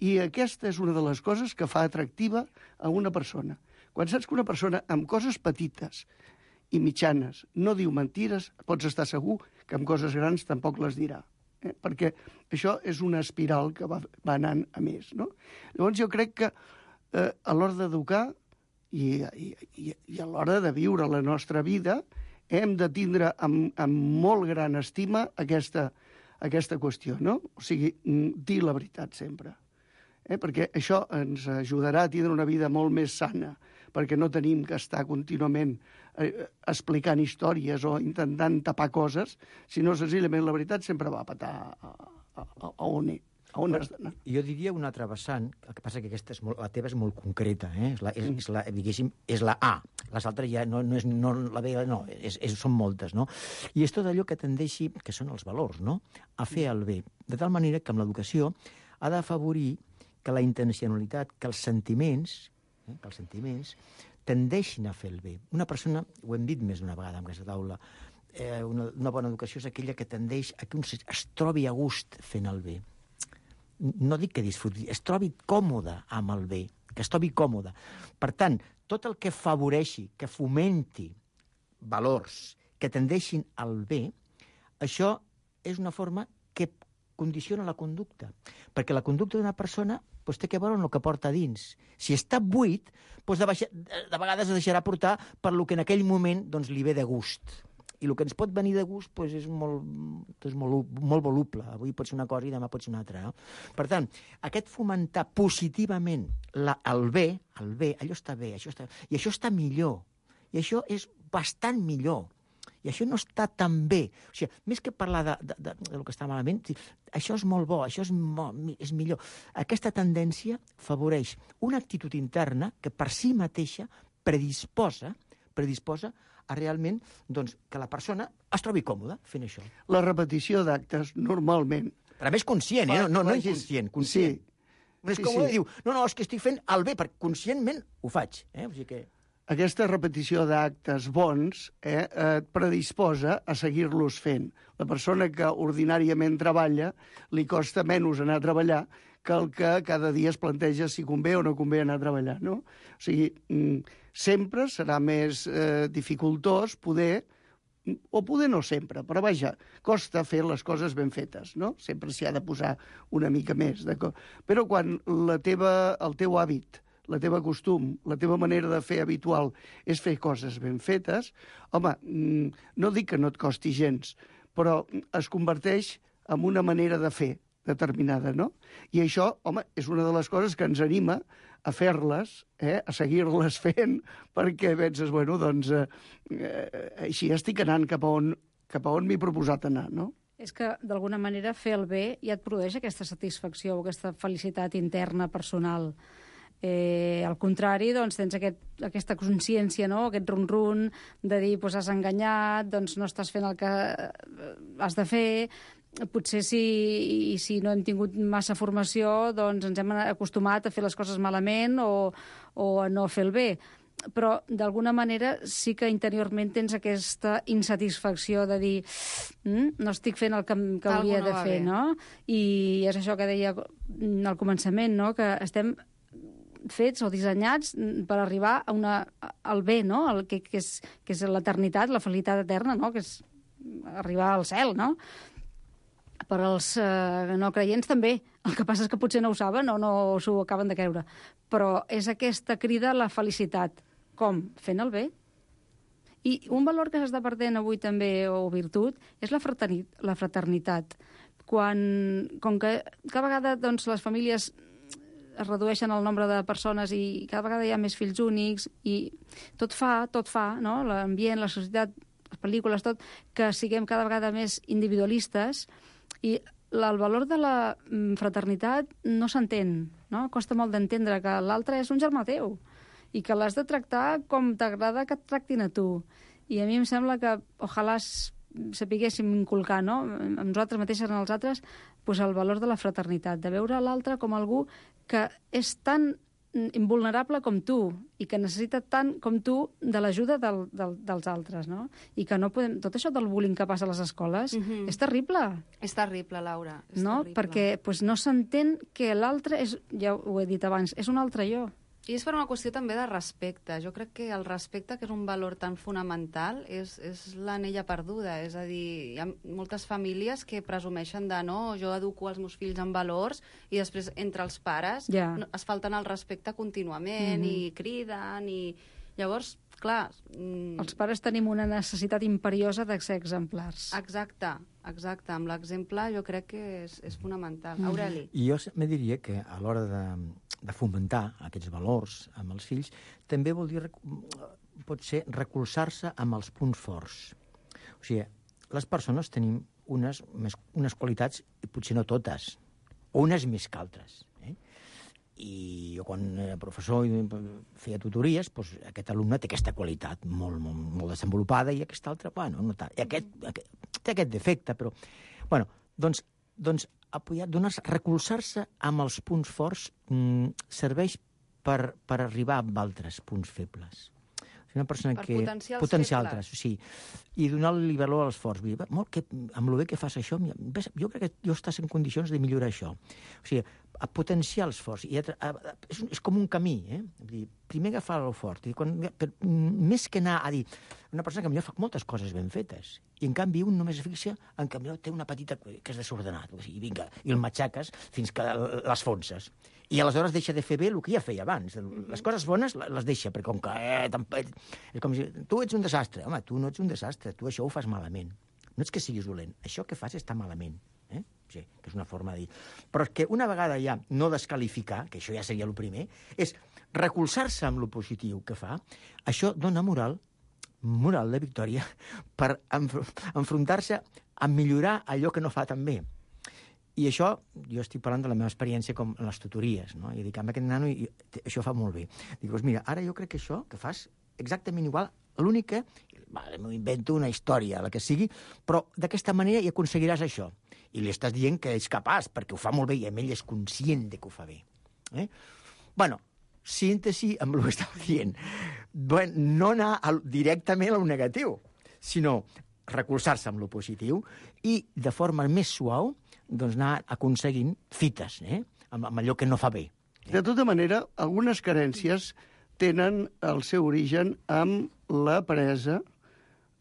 I aquesta és una de les coses que fa atractiva a una persona. Quan saps que una persona amb coses petites i mitjanes no diu mentires, pots estar segur que amb coses grans tampoc les dirà. Eh? Perquè això és una espiral que va, va anant a més. No? Llavors jo crec que eh, a l'hora d'educar i, i, i, i a l'hora de viure la nostra vida hem de tindre amb, amb molt gran estima aquesta, aquesta qüestió. No? O sigui, dir la veritat sempre. Eh? Perquè això ens ajudarà a tindre una vida molt més sana, perquè no tenim que estar contínuament eh, explicant històries o intentant tapar coses, sinó senzillament la veritat sempre va a petar a, a, a, a on, a on has d'anar. Jo diria una altra vessant, el que passa que aquesta és molt, la teva és molt concreta, eh? és, la, és, és, la, diguéssim, és la A. Les altres ja no, no és no, la B, no, és, és, són moltes, no? I és tot allò que tendeixi, que són els valors, no?, a fer el bé. De tal manera que amb l'educació ha d'afavorir que la intencionalitat, que els sentiments, eh, que els sentiments tendeixin a fer el bé. Una persona, ho hem dit més d'una vegada en aquesta taula, eh, una, una bona educació és aquella que tendeix a que un es trobi a gust fent el bé. No dic que disfruti, es trobi còmode amb el bé, que es trobi còmode. Per tant, tot el que afavoreixi, que fomenti valors que tendeixin al bé, això és una forma que condiciona la conducta. Perquè la conducta d'una persona doncs, té que veure amb el que porta dins. Si està buit, doncs de, baixa, de vegades es deixarà portar per lo que en aquell moment doncs, li ve de gust. I el que ens pot venir de gust doncs, és, molt, doncs, molt, molt voluble. Avui pot ser una cosa i demà pot ser una altra. No? Per tant, aquest fomentar positivament la, el bé, el bé, allò està bé, això està, i això està millor. I això és bastant millor. I això no està tan bé. O sigui, més que parlar de, de, de, de lo que està malament, això és molt bo, això és, molt, és millor. Aquesta tendència favoreix una actitud interna que per si mateixa predisposa, predisposa a realment doncs, que la persona es trobi còmoda fent això. La repetició d'actes, normalment... Però a més conscient, eh? no, no, no inconscient, conscient. Sí. No és sí, com sí. Diu, no, no, és que estic fent el bé, perquè conscientment ho faig. Eh? O sigui que... Aquesta repetició d'actes bons eh, et predisposa a seguir-los fent. La persona que ordinàriament treballa li costa menys anar a treballar que el que cada dia es planteja si convé o no convé anar a treballar. No? O sigui, sempre serà més eh, dificultós poder, o poder no sempre, però vaja, costa fer les coses ben fetes, no? Sempre s'hi ha de posar una mica més. Però quan la teva, el teu hàbit, la teva costum, la teva manera de fer habitual és fer coses ben fetes, home, no dic que no et costi gens, però es converteix en una manera de fer determinada, no? I això, home, és una de les coses que ens anima a fer-les, eh, a seguir-les fent, perquè penses, bueno, doncs, eh, així estic anant cap a on, cap a on m'he proposat anar, no? És que, d'alguna manera, fer el bé ja et produeix aquesta satisfacció, aquesta felicitat interna, personal. Eh, al contrari, doncs, tens aquest, aquesta consciència, no? Aquest run-run de dir, doncs, has enganyat, doncs no estàs fent el que has de fer, potser si, si no hem tingut massa formació, doncs ens hem acostumat a fer les coses malament o, o a no fer el bé. Però, d'alguna manera, sí que interiorment tens aquesta insatisfacció de dir mm, no estic fent el que, que hauria no de fer, bé. No? I és això que deia al començament, no? Que estem fets o dissenyats per arribar a una, al bé, no? El que, que, és, que és l'eternitat, la felicitat eterna, no? Que és arribar al cel, no? Per als eh, no creients també. El que passa és que potser no ho saben o no s'ho acaben de creure. Però és aquesta crida a la felicitat. Com? Fent el bé. I un valor que s'està perdent avui també, o virtut, és la fraternitat. La fraternitat. Quan, com que cada vegada doncs, les famílies es redueixen el nombre de persones i cada vegada hi ha més fills únics i tot fa, tot fa, no? L'ambient, la societat, les pel·lícules, tot, que siguem cada vegada més individualistes i el valor de la fraternitat no s'entén, no? Costa molt d'entendre que l'altre és un germà teu i que l'has de tractar com t'agrada que et tractin a tu. I a mi em sembla que ojalà sapiguéssim inculcar, no? Amb nosaltres mateixes, en els altres, pues, el valor de la fraternitat, de veure l'altre com algú que és tan invulnerable com tu i que necessita tant com tu de l'ajuda del, del, dels altres, no? I que no podem... Tot això del bullying que passa a les escoles mm-hmm. és terrible. És terrible, Laura. És no? Terrible. Perquè pues, no s'entén que l'altre és... Ja ho he dit abans, és un altre jo. I és per una qüestió també de respecte. Jo crec que el respecte, que és un valor tan fonamental, és, és l'anella perduda. És a dir, hi ha moltes famílies que presumeixen de no, jo educo els meus fills en valors i després entre els pares yeah. no, es falten el respecte contínuament mm-hmm. i criden i... Llavors, clar... Mm... Els pares tenim una necessitat imperiosa de ser exemplars. Exacte, exacte. Amb l'exemple jo crec que és, és fonamental. Mm. Aureli. I jo me diria que a l'hora de, de fomentar aquests valors amb els fills també vol dir, pot ser, recolzar-se amb els punts forts. O sigui, les persones tenim unes, més, unes qualitats, i potser no totes, o unes més que altres. I jo quan era professor i feia tutories, doncs aquest alumne té aquesta qualitat molt, molt, molt desenvolupada i aquest altre, bueno, no tant. I aquest, aquest té aquest defecte, però... Bueno, doncs, doncs apoyar, donar-se, recolzar-se amb els punts forts mmm, serveix per, per arribar a altres punts febles. Una persona per que... potenciar els potenciar febles. altres, sí. I donar-li valor als forts. Molt que, amb el bé que fas això, jo crec que jo estàs en condicions de millorar això. O sigui, a potenciar els forts. I a, a, a, és, és com un camí, eh? Dir, primer agafar el fort. I quan, per, més que anar a dir... Una persona que potser fa moltes coses ben fetes i, en canvi, un només es fixa en que té una petita que és desordenat. O sigui, vinga, i el matxaques fins que l'esfonses. I aleshores deixa de fer bé el que ja feia abans. Les coses bones les deixa, perquè com que... Eh, és com si... Tu ets un desastre. Home, tu no ets un desastre. Tu això ho fas malament. No és que siguis dolent. Això que fas està malament. Eh? Sí, que és una forma de dir. Però és que una vegada ja no descalificar, que això ja seria el primer, és recolzar-se amb lo positiu que fa. Això dona moral, moral de victòria, per enfrontar-se a millorar allò que no fa tan bé. I això, jo estic parlant de la meva experiència com en les tutories, no? I dic, amb aquest nano i, això fa molt bé. Dic, doncs mira, ara jo crec que això que fas exactament igual, l'únic que, vale, m'invento una història, la que sigui, però d'aquesta manera hi aconseguiràs això. I li estàs dient que ets capaç, perquè ho fa molt bé i ell és conscient de que ho fa bé. Eh? Bueno, síntesi amb el que estava dient. Bueno, no anar al, directament a lo negatiu, sinó recolzar-se amb lo positiu i, de forma més suau, doncs anar aconseguint fites, eh? amb, amb allò que no fa bé. De tota manera, algunes carències tenen el seu origen amb la presa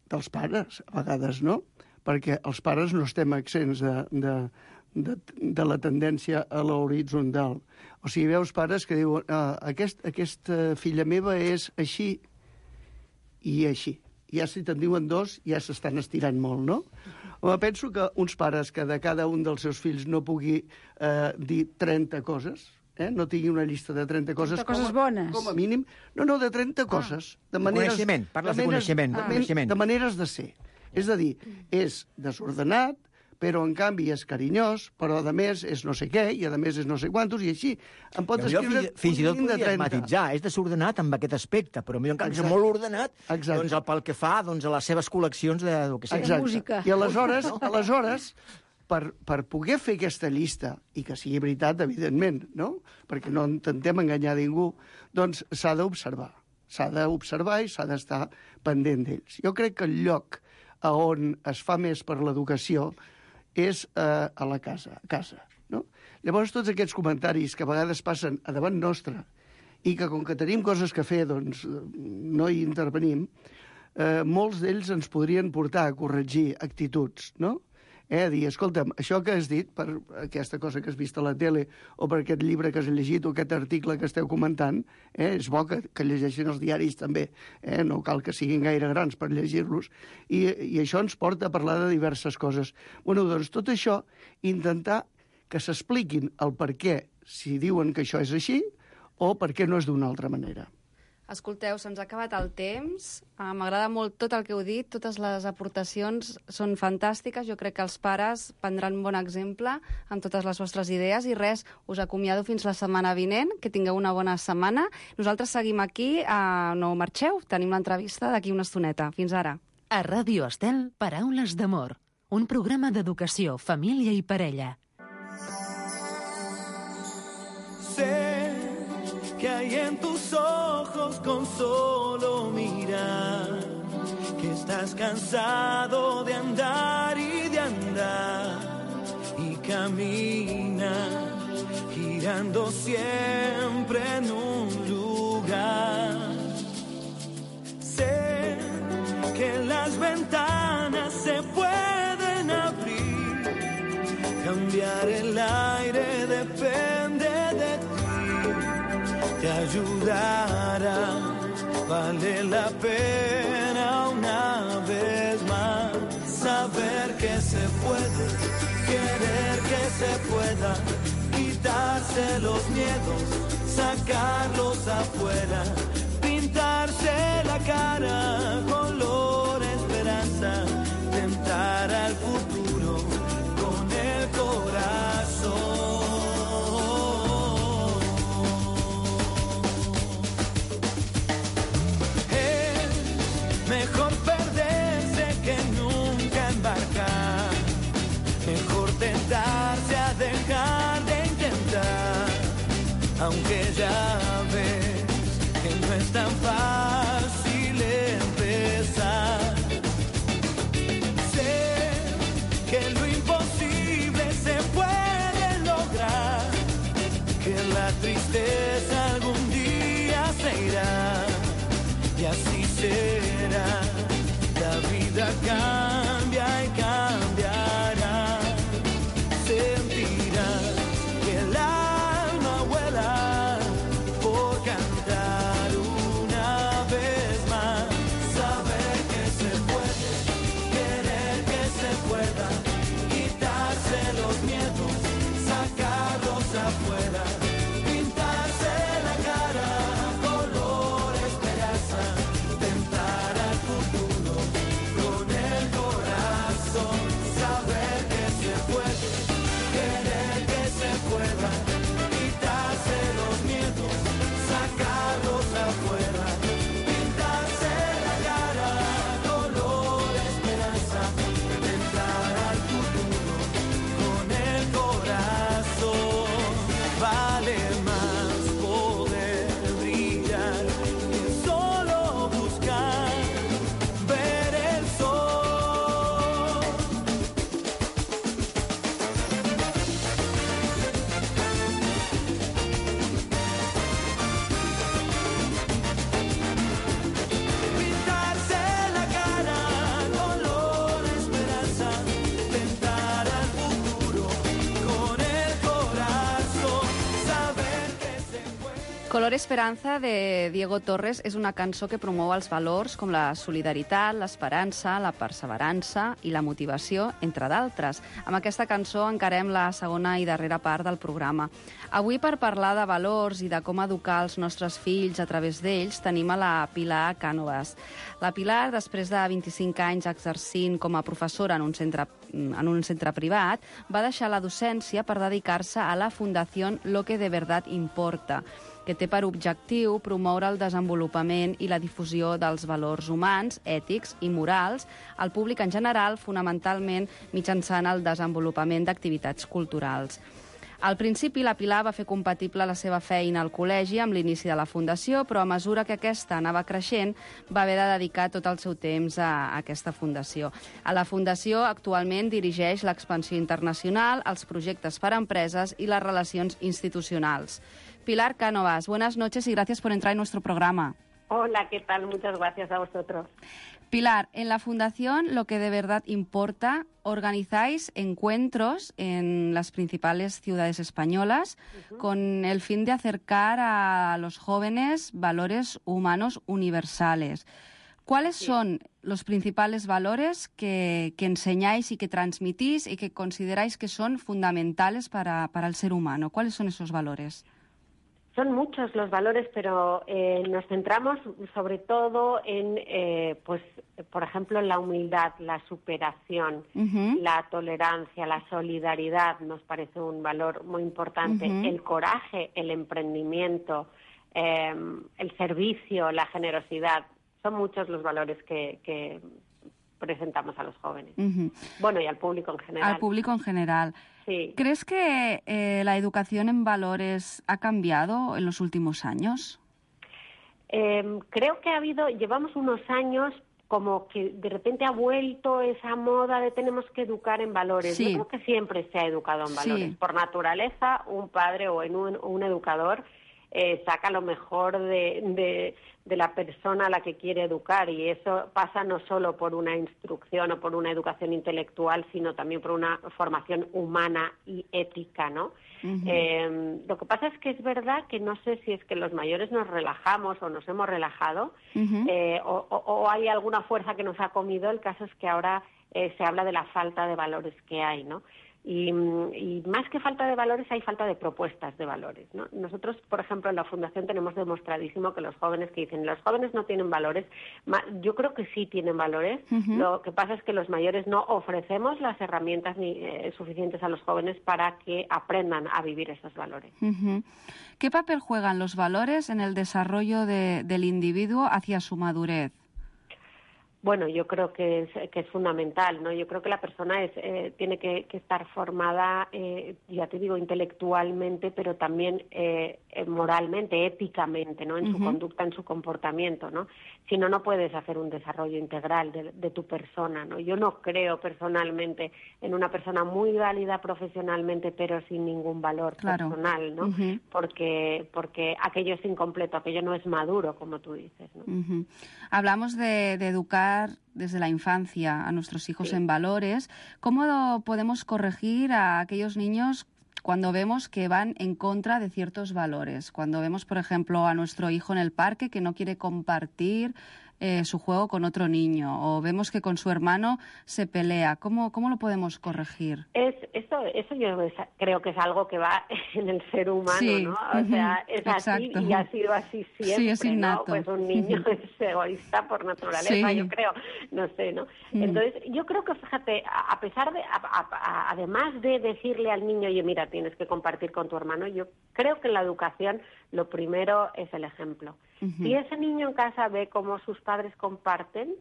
dels pares, a vegades, no? Perquè els pares no estem accents de, de, de, de la tendència a l'horitzontal. O sigui, veus pares que diuen ah, aquest, aquesta filla meva és així i així. Ja si te'n diuen dos, ja s'estan estirant molt, no? Home, penso que uns pares que de cada un dels seus fills no pugui eh, dir trenta coses, eh? No tingui una llista de trenta coses... trenta coses com a, bones. Com a mínim. No, no, de trenta ah. coses. De maneres, coneixement, parles de, de coneixement. De, Ah. coneixement. De maneres de ser. És a dir, és desordenat, però en canvi és carinyós, però a més és no sé què, i a més és no sé quantos, i així. Em pot jo, escriure fins, fins i tot podries trenta. matitzar, és desordenat amb aquest aspecte, però en canvi és molt ordenat, Exacte. doncs pel que fa doncs, a les seves col·leccions de, de que sé. Exacte. música. I aleshores, aleshores per, per poder fer aquesta llista, i que sigui veritat, evidentment, no? Perquè no intentem enganyar ningú, doncs s'ha d'observar. S'ha d'observar i s'ha d'estar pendent d'ells. Jo crec que el lloc a on es fa més per l'educació és eh, a la casa, a casa, no? Llavors, tots aquests comentaris que a vegades passen a davant nostre i que, com que tenim coses que fer, doncs no hi intervenim, eh, molts d'ells ens podrien portar a corregir actituds, no? Eh, a dir, escolta'm, això que has dit, per aquesta cosa que has vist a la tele, o per aquest llibre que has llegit, o aquest article que esteu comentant, eh, és bo que, que llegeixin els diaris també, eh, no cal que siguin gaire grans per llegir-los, i, i això ens porta a parlar de diverses coses. Bueno, doncs tot això, intentar que s'expliquin el per què, si diuen que això és així, o per què no és d'una altra manera. Escolteu, se'ns ha acabat el temps. Uh, M'agrada molt tot el que heu dit, totes les aportacions són fantàstiques. Jo crec que els pares prendran un bon exemple amb totes les vostres idees i res, us acomiado fins la setmana vinent, que tingueu una bona setmana. Nosaltres seguim aquí, uh, no marxeu, tenim l'entrevista d'aquí una estoneta. Fins ara. A Ràdio Estel, Paraules d'amor, un programa d'educació, família i parella. Sé que hay en tus ojos con solo mirar, que estás cansado de andar y de andar, y caminas girando siempre en un lugar. Sé que las ventanas se pueden abrir, cambiar el aire depende de ti. Te ayudará, vale la pena una vez más saber que se puede, querer que se pueda, quitarse los miedos, sacarlos afuera, pintarse la cara color esperanza, tentar al futuro con el corazón. Mejor perderse que nunca embarcar. Mejor tentarse a dejar de intentar. Aunque ya ves que no es tan fácil empezar. Sé que lo imposible se puede lograr. Que la tristeza algún día se irá. Y así será, la vida cambia y cambiará. Sentirás que el alma vuela por cantar una vez más. Saber que se puede, querer que se pueda, quitarse los miedos, sacarlos afuera, pintarse la cara color esperanza, tentar al futuro con el corazón. Saber que se puede, querer que se pueda, quitarse los miedos, sacarlos afuera, pintarse la cara color esperanza, tentar al futuro con el corazón. Vale más poder brillar que solo buscar ver el sol. Pintarse la cara color esperanza, tentar al futuro con el corazón, saber que se puede. Color Esperanza, de Diego Torres, és una cançó que promou els valors com la solidaritat, l'esperança, la perseverança i la motivació, entre d'altres. Amb aquesta cançó encarem la segona i darrera part del programa. Avui, per parlar de valors i de com educar els nostres fills a través d'ells, tenim a la Pilar Cànovas. La Pilar, després de vint-i-cinc anys exercint com a professora en un centre, en un centre privat, va deixar la docència per dedicar-se a la Fundació Lo que de verdad importa. que té per objectiu promoure el desenvolupament i la difusió dels valors humans, ètics i morals al públic en general, fonamentalment mitjançant el desenvolupament d'activitats culturals. Al principi, la Pilar va fer compatible la seva feina al col·legi amb l'inici de la Fundació, però a mesura que aquesta anava creixent, va haver de dedicar tot el seu temps a aquesta Fundació. A la Fundació actualment dirigeix l'expansió internacional, els projectes per a empreses i les relacions institucionals. Pilar Cánovas, buenas noches y gracias por entrar en nuestro programa. Hola, ¿qué tal? Muchas gracias a vosotros. Pilar, en la Fundación lo que de verdad importa, organizáis encuentros en las principales ciudades españolas uh-huh. con el fin de acercar a los jóvenes valores humanos universales. ¿Cuáles sí. son los principales valores que, que enseñáis y que transmitís y que consideráis que son fundamentales para, para el ser humano? ¿Cuáles son esos valores? Son muchos los valores, pero eh, nos centramos sobre todo en, eh, pues, por ejemplo, en la humildad, la superación, uh-huh. la tolerancia, la solidaridad, nos parece un valor muy importante, uh-huh. el coraje, el emprendimiento, eh, el servicio, la generosidad. Son muchos los valores que, que presentamos a los jóvenes. Uh-huh. Bueno, y al público en general. Al público en general. Sí. ¿Crees que eh, la educación en valores ha cambiado en los últimos años? Eh, creo que ha habido, llevamos unos años como que de repente ha vuelto esa moda de tenemos que educar en valores. Sí. Yo creo que siempre se ha educado en valores. Sí. Por naturaleza, un padre o en un, un educador eh, saca lo mejor de, de, de la persona a la que quiere educar, y eso pasa no solo por una instrucción o por una educación intelectual, sino también por una formación humana y ética, ¿no? Uh-huh. Eh, lo que pasa es que es verdad que no sé si es que los mayores nos relajamos o nos hemos relajado, uh-huh. eh, o, o, o hay alguna fuerza que nos ha comido. El caso es que ahora eh, se habla de la falta de valores que hay, ¿no? Y, y más que falta de valores, hay falta de propuestas de valores, ¿no? Nosotros, por ejemplo, en la Fundación tenemos demostradísimo que los jóvenes que dicen los jóvenes no tienen valores, yo creo que sí tienen valores. Uh-huh. Lo que pasa es que los mayores no ofrecemos las herramientas ni, eh, suficientes a los jóvenes para que aprendan a vivir esos valores. Uh-huh. ¿Qué papel juegan los valores en el desarrollo de, del individuo hacia su madurez? Bueno, yo creo que es, que es fundamental, ¿no? Yo creo que la persona es, eh, tiene que, que estar formada, eh, ya te digo, intelectualmente, pero también eh, moralmente, éticamente, ¿no? En uh-huh. su conducta, en su comportamiento, ¿no? Si no, no puedes hacer un desarrollo integral de, de tu persona, ¿no? Yo no creo personalmente en una persona muy válida profesionalmente, pero sin ningún valor claro. personal, ¿no? Uh-huh. Porque, porque aquello es incompleto, aquello no es maduro, como tú dices, ¿no? Uh-huh. Hablamos de, de educar desde la infancia a nuestros hijos sí. en valores. ¿Cómo podemos corregir a aquellos niños cuando vemos que van en contra de ciertos valores? Cuando vemos, por ejemplo, a nuestro hijo en el parque que no quiere compartir eh, su juego con otro niño, o vemos que con su hermano se pelea. ¿Cómo, cómo lo podemos corregir? Es, eso, eso yo creo que es algo que va en el ser humano, sí. ¿no? O sea, es Exacto. así y ha sido así siempre, sí, es innato. ¿no? Pues un niño es egoísta por naturaleza, sí. yo creo, no sé, ¿no? Mm. Entonces, yo creo que, fíjate, a pesar de, a, a, a, además de decirle al niño, oye, mira, tienes que compartir con tu hermano, yo creo que en la educación lo primero es el ejemplo. Uh-huh. Si ese niño en casa ve cómo sus padres comparten,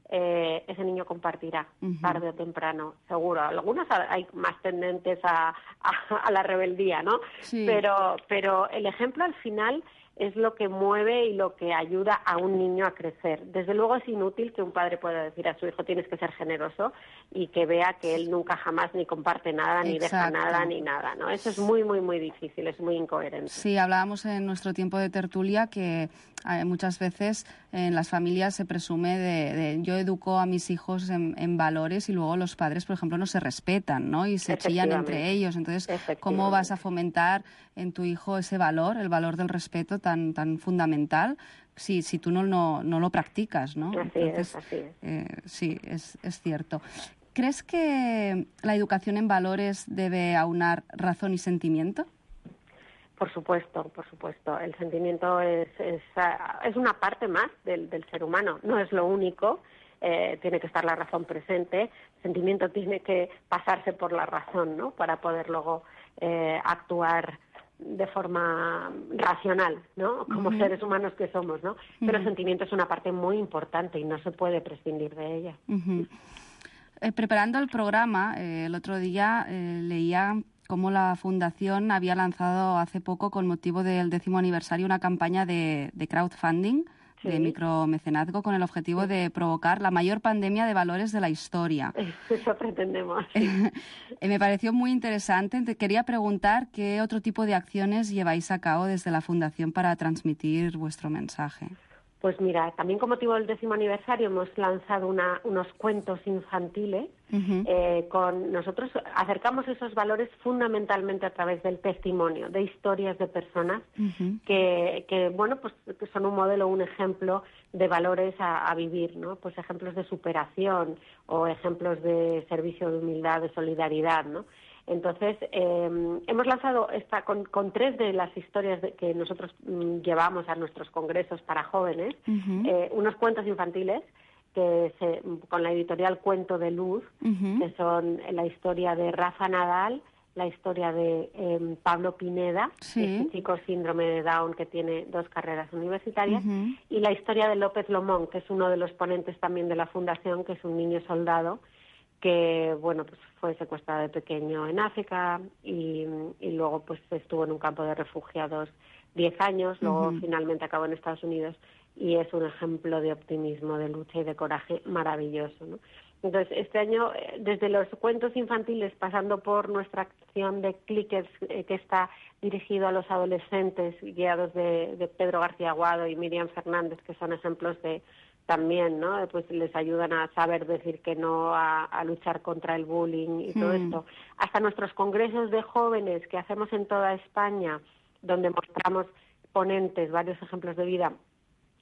eh, ese niño compartirá, uh-huh. tarde o temprano, seguro. Algunos hay más tendentes a, a, a la rebeldía, ¿no? Sí. Pero, pero el ejemplo al final es lo que mueve y lo que ayuda a un niño a crecer. Desde luego es inútil que un padre pueda decir a su hijo tienes que ser generoso y que vea que él nunca jamás ni comparte nada, ni Exacto. deja nada, ni nada, ¿no? Eso es muy, muy, muy difícil, es muy incoherente. Sí, hablábamos en nuestro tiempo de tertulia que eh, muchas veces en las familias se presume de, de yo educo a mis hijos en, en valores y luego los padres, por ejemplo, no se respetan, ¿no? Y se chillan entre ellos. Entonces, ¿cómo vas a fomentar en tu hijo ese valor, el valor del respeto tan, tan fundamental, si, si tú no, no, no lo practicas, ¿no? Así Entonces, es, así es. Eh, sí, es, es cierto. ¿Crees que la educación en valores debe aunar razón y sentimiento? Por supuesto, por supuesto. El sentimiento es, es, es una parte más del, del ser humano, no es lo único. Eh, tiene que estar la razón presente, el sentimiento tiene que pasarse por la razón, ¿no? Para poder luego eh, actuar de forma racional, ¿no? Como Ujú. seres humanos que somos, ¿no? Pero el Ujú. sentimiento es una parte muy importante y no se puede prescindir de ella. Ujú. Eh, preparando el programa, eh, el otro día eh, leía cómo la Fundación había lanzado hace poco, con motivo del décimo aniversario, una campaña de, de crowdfunding, Sí. de micromecenazgo, con el objetivo de provocar la mayor pandemia de valores de la historia. Eso pretendemos. Sí. Eh, Me pareció muy interesante. Te quería preguntar qué otro tipo de acciones lleváis a cabo desde la Fundación para transmitir vuestro mensaje. Pues mira, también con motivo del décimo aniversario hemos lanzado una, unos cuentos infantiles. Ujú. Eh, con nosotros acercamos esos valores fundamentalmente a través del testimonio, de historias de personas Ujú. que, que bueno, pues que son un modelo, un ejemplo de valores a, a vivir, ¿no? Pues ejemplos de superación o ejemplos de servicio, de humildad, de solidaridad, ¿no? Entonces, eh, hemos lanzado esta, con, con tres de las historias de, que nosotros mm, llevamos a nuestros congresos para jóvenes, Ujú. eh, unos cuentos infantiles que se, con la editorial Cuento de Luz, Ujú. que son la historia de Rafa Nadal, la historia de eh, Pablo Pineda, Sí. este chico síndrome de Down que tiene dos carreras universitarias, Ujú. y la historia de López Lomón, que es uno de los ponentes también de la Fundación, que es un niño soldado que, bueno, pues fue secuestrado de pequeño en África y, y luego pues estuvo en un campo de refugiados diez años, luego Ujú. finalmente acabó en Estados Unidos y es un ejemplo de optimismo, de lucha y de coraje maravilloso, ¿no? Entonces, este año, eh, desde los cuentos infantiles, pasando por nuestra acción de Clickers, eh, que está dirigido a los adolescentes, guiados de, de Pedro García Aguado y Miriam Fernández, que son ejemplos de también, ¿no? Pues les ayudan a saber decir que no, a, a luchar contra el bullying y todo Mm. esto. Hasta nuestros congresos de jóvenes que hacemos en toda España, donde mostramos ponentes, varios ejemplos de vida.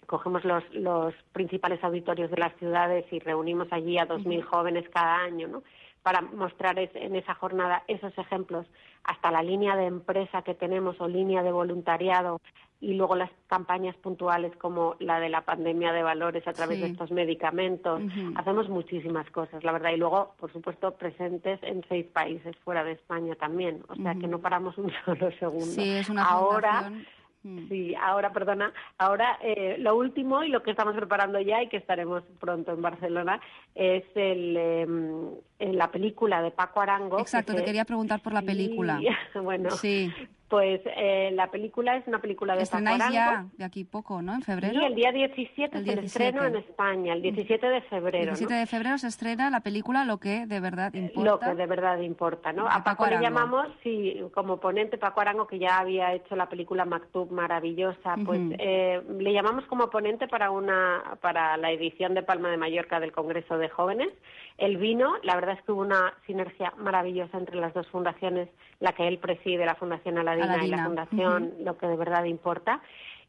Cogemos los, los principales auditorios de las ciudades y reunimos allí a dos mil jóvenes cada año, ¿no? Para mostrar es, en esa jornada esos ejemplos, hasta la línea de empresa que tenemos o línea de voluntariado, y luego las campañas puntuales como la de la pandemia de valores a través Sí. de estos medicamentos. Ujú. Hacemos muchísimas cosas, la verdad, y luego, por supuesto, presentes en seis países fuera de España también, o sea Ujú. que no paramos un solo segundo. Sí, es una Ahora, fundación. Mm. sí, ahora, perdona, ahora eh, lo último y lo que estamos preparando ya y que estaremos pronto en Barcelona es el, eh, la película de Paco Arango. Exacto, que te se- quería preguntar por la Sí, película. bueno, Sí. pues eh, la película es una película de Paco Estrenáis Arango. ya de aquí poco, ¿no? En febrero. Sí, el día diecisiete El es el diecisiete. estreno en España, el diecisiete de febrero, diecisiete ¿no? de febrero se estrena la película Lo que de verdad Lo importa. que de verdad importa, ¿no? De A Paco Paco le Arango. llamamos, sí, como ponente Paco Arango, que ya había hecho la película Maktub maravillosa, pues Ujú. eh, le llamamos como ponente para una para la edición de Palma de Mallorca del Congreso de Jóvenes. Él vino, la verdad es que hubo una sinergia maravillosa entre las dos fundaciones, la que él preside, la Fundación Aladina, y Aladina, la Fundación Lo que de verdad importa.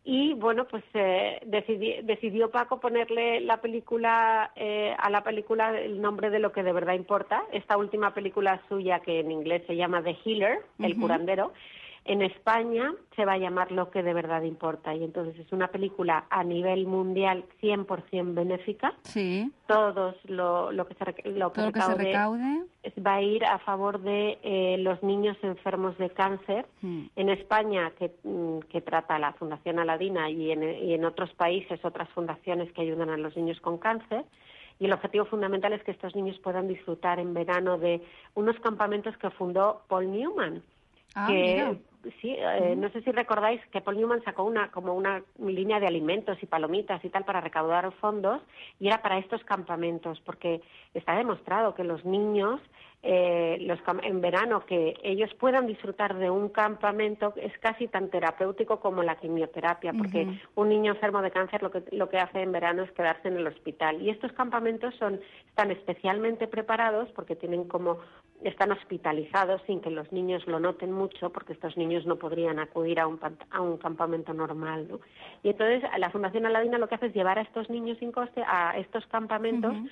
Y bueno, pues eh, decidi- decidió Paco ponerle la película eh, a la película el nombre de Lo que de verdad importa. Esta última película suya, que en inglés se llama The Healer, el Ujú. curandero, en España se va a llamar Lo que de verdad importa. Y entonces es una película a nivel mundial cien por ciento benéfica. Sí. Todos lo, lo que se, rec- lo que Todo lo que se recaude recaude. es- va a ir a favor de eh, los niños enfermos de cáncer. Mm. En España, que, mm, que trata la Fundación Aladina, y en, y en otros países otras fundaciones que ayudan a los niños con cáncer. Y el objetivo fundamental es que estos niños puedan disfrutar en verano de unos campamentos que fundó Paul Newman. Ah, que mira. sí, eh, no sé si recordáis que Paul Newman sacó una como una línea de alimentos y palomitas y tal para recaudar fondos, y era para estos campamentos, porque está demostrado que los niños eh, los cam- en verano, que ellos puedan disfrutar de un campamento es casi tan terapéutico como la quimioterapia, porque Ujú. un niño enfermo de cáncer lo que lo que hace en verano es quedarse en el hospital, y estos campamentos son están especialmente preparados porque tienen como están hospitalizados sin que los niños lo noten mucho, porque estos niños no podrían acudir a un pan- a un campamento normal, ¿no? Y entonces la Fundación Aladina lo que hace es llevar a estos niños sin coste a estos campamentos. Ujú.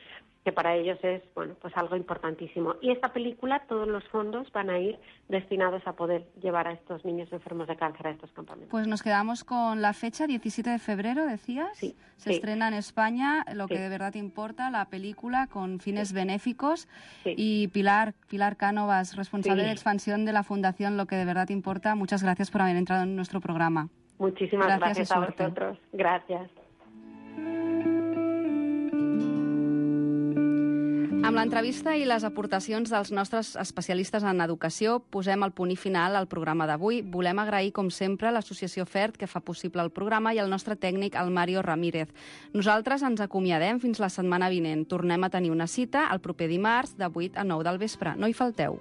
que para ellos es, bueno, pues algo importantísimo. Y esta película, todos los fondos van a ir destinados a poder llevar a estos niños enfermos de cáncer a estos campamentos. Pues nos quedamos con la fecha, diecisiete de febrero, decías. Sí. Se sí. estrena en España, lo Sí. que de verdad importa, la película con fines Sí. benéficos. Sí. Y Pilar, Pilar Cánovas, responsable Sí. de expansión de la Fundación Lo que de verdad importa, muchas gracias por haber entrado en nuestro programa. Muchísimas Gracias gracias, y a suerte. vosotros. Gracias. Amb l'entrevista i les aportacions dels nostres especialistes en educació posem el punt i final al programa d'avui. Volem agrair, com sempre, l'associació FERT, que fa possible el programa, i el nostre tècnic, el Mario Ramírez. Nosaltres ens acomiadem fins la setmana vinent. Tornem a tenir una cita el proper dimarts de vuit a nou del vespre. No hi falteu.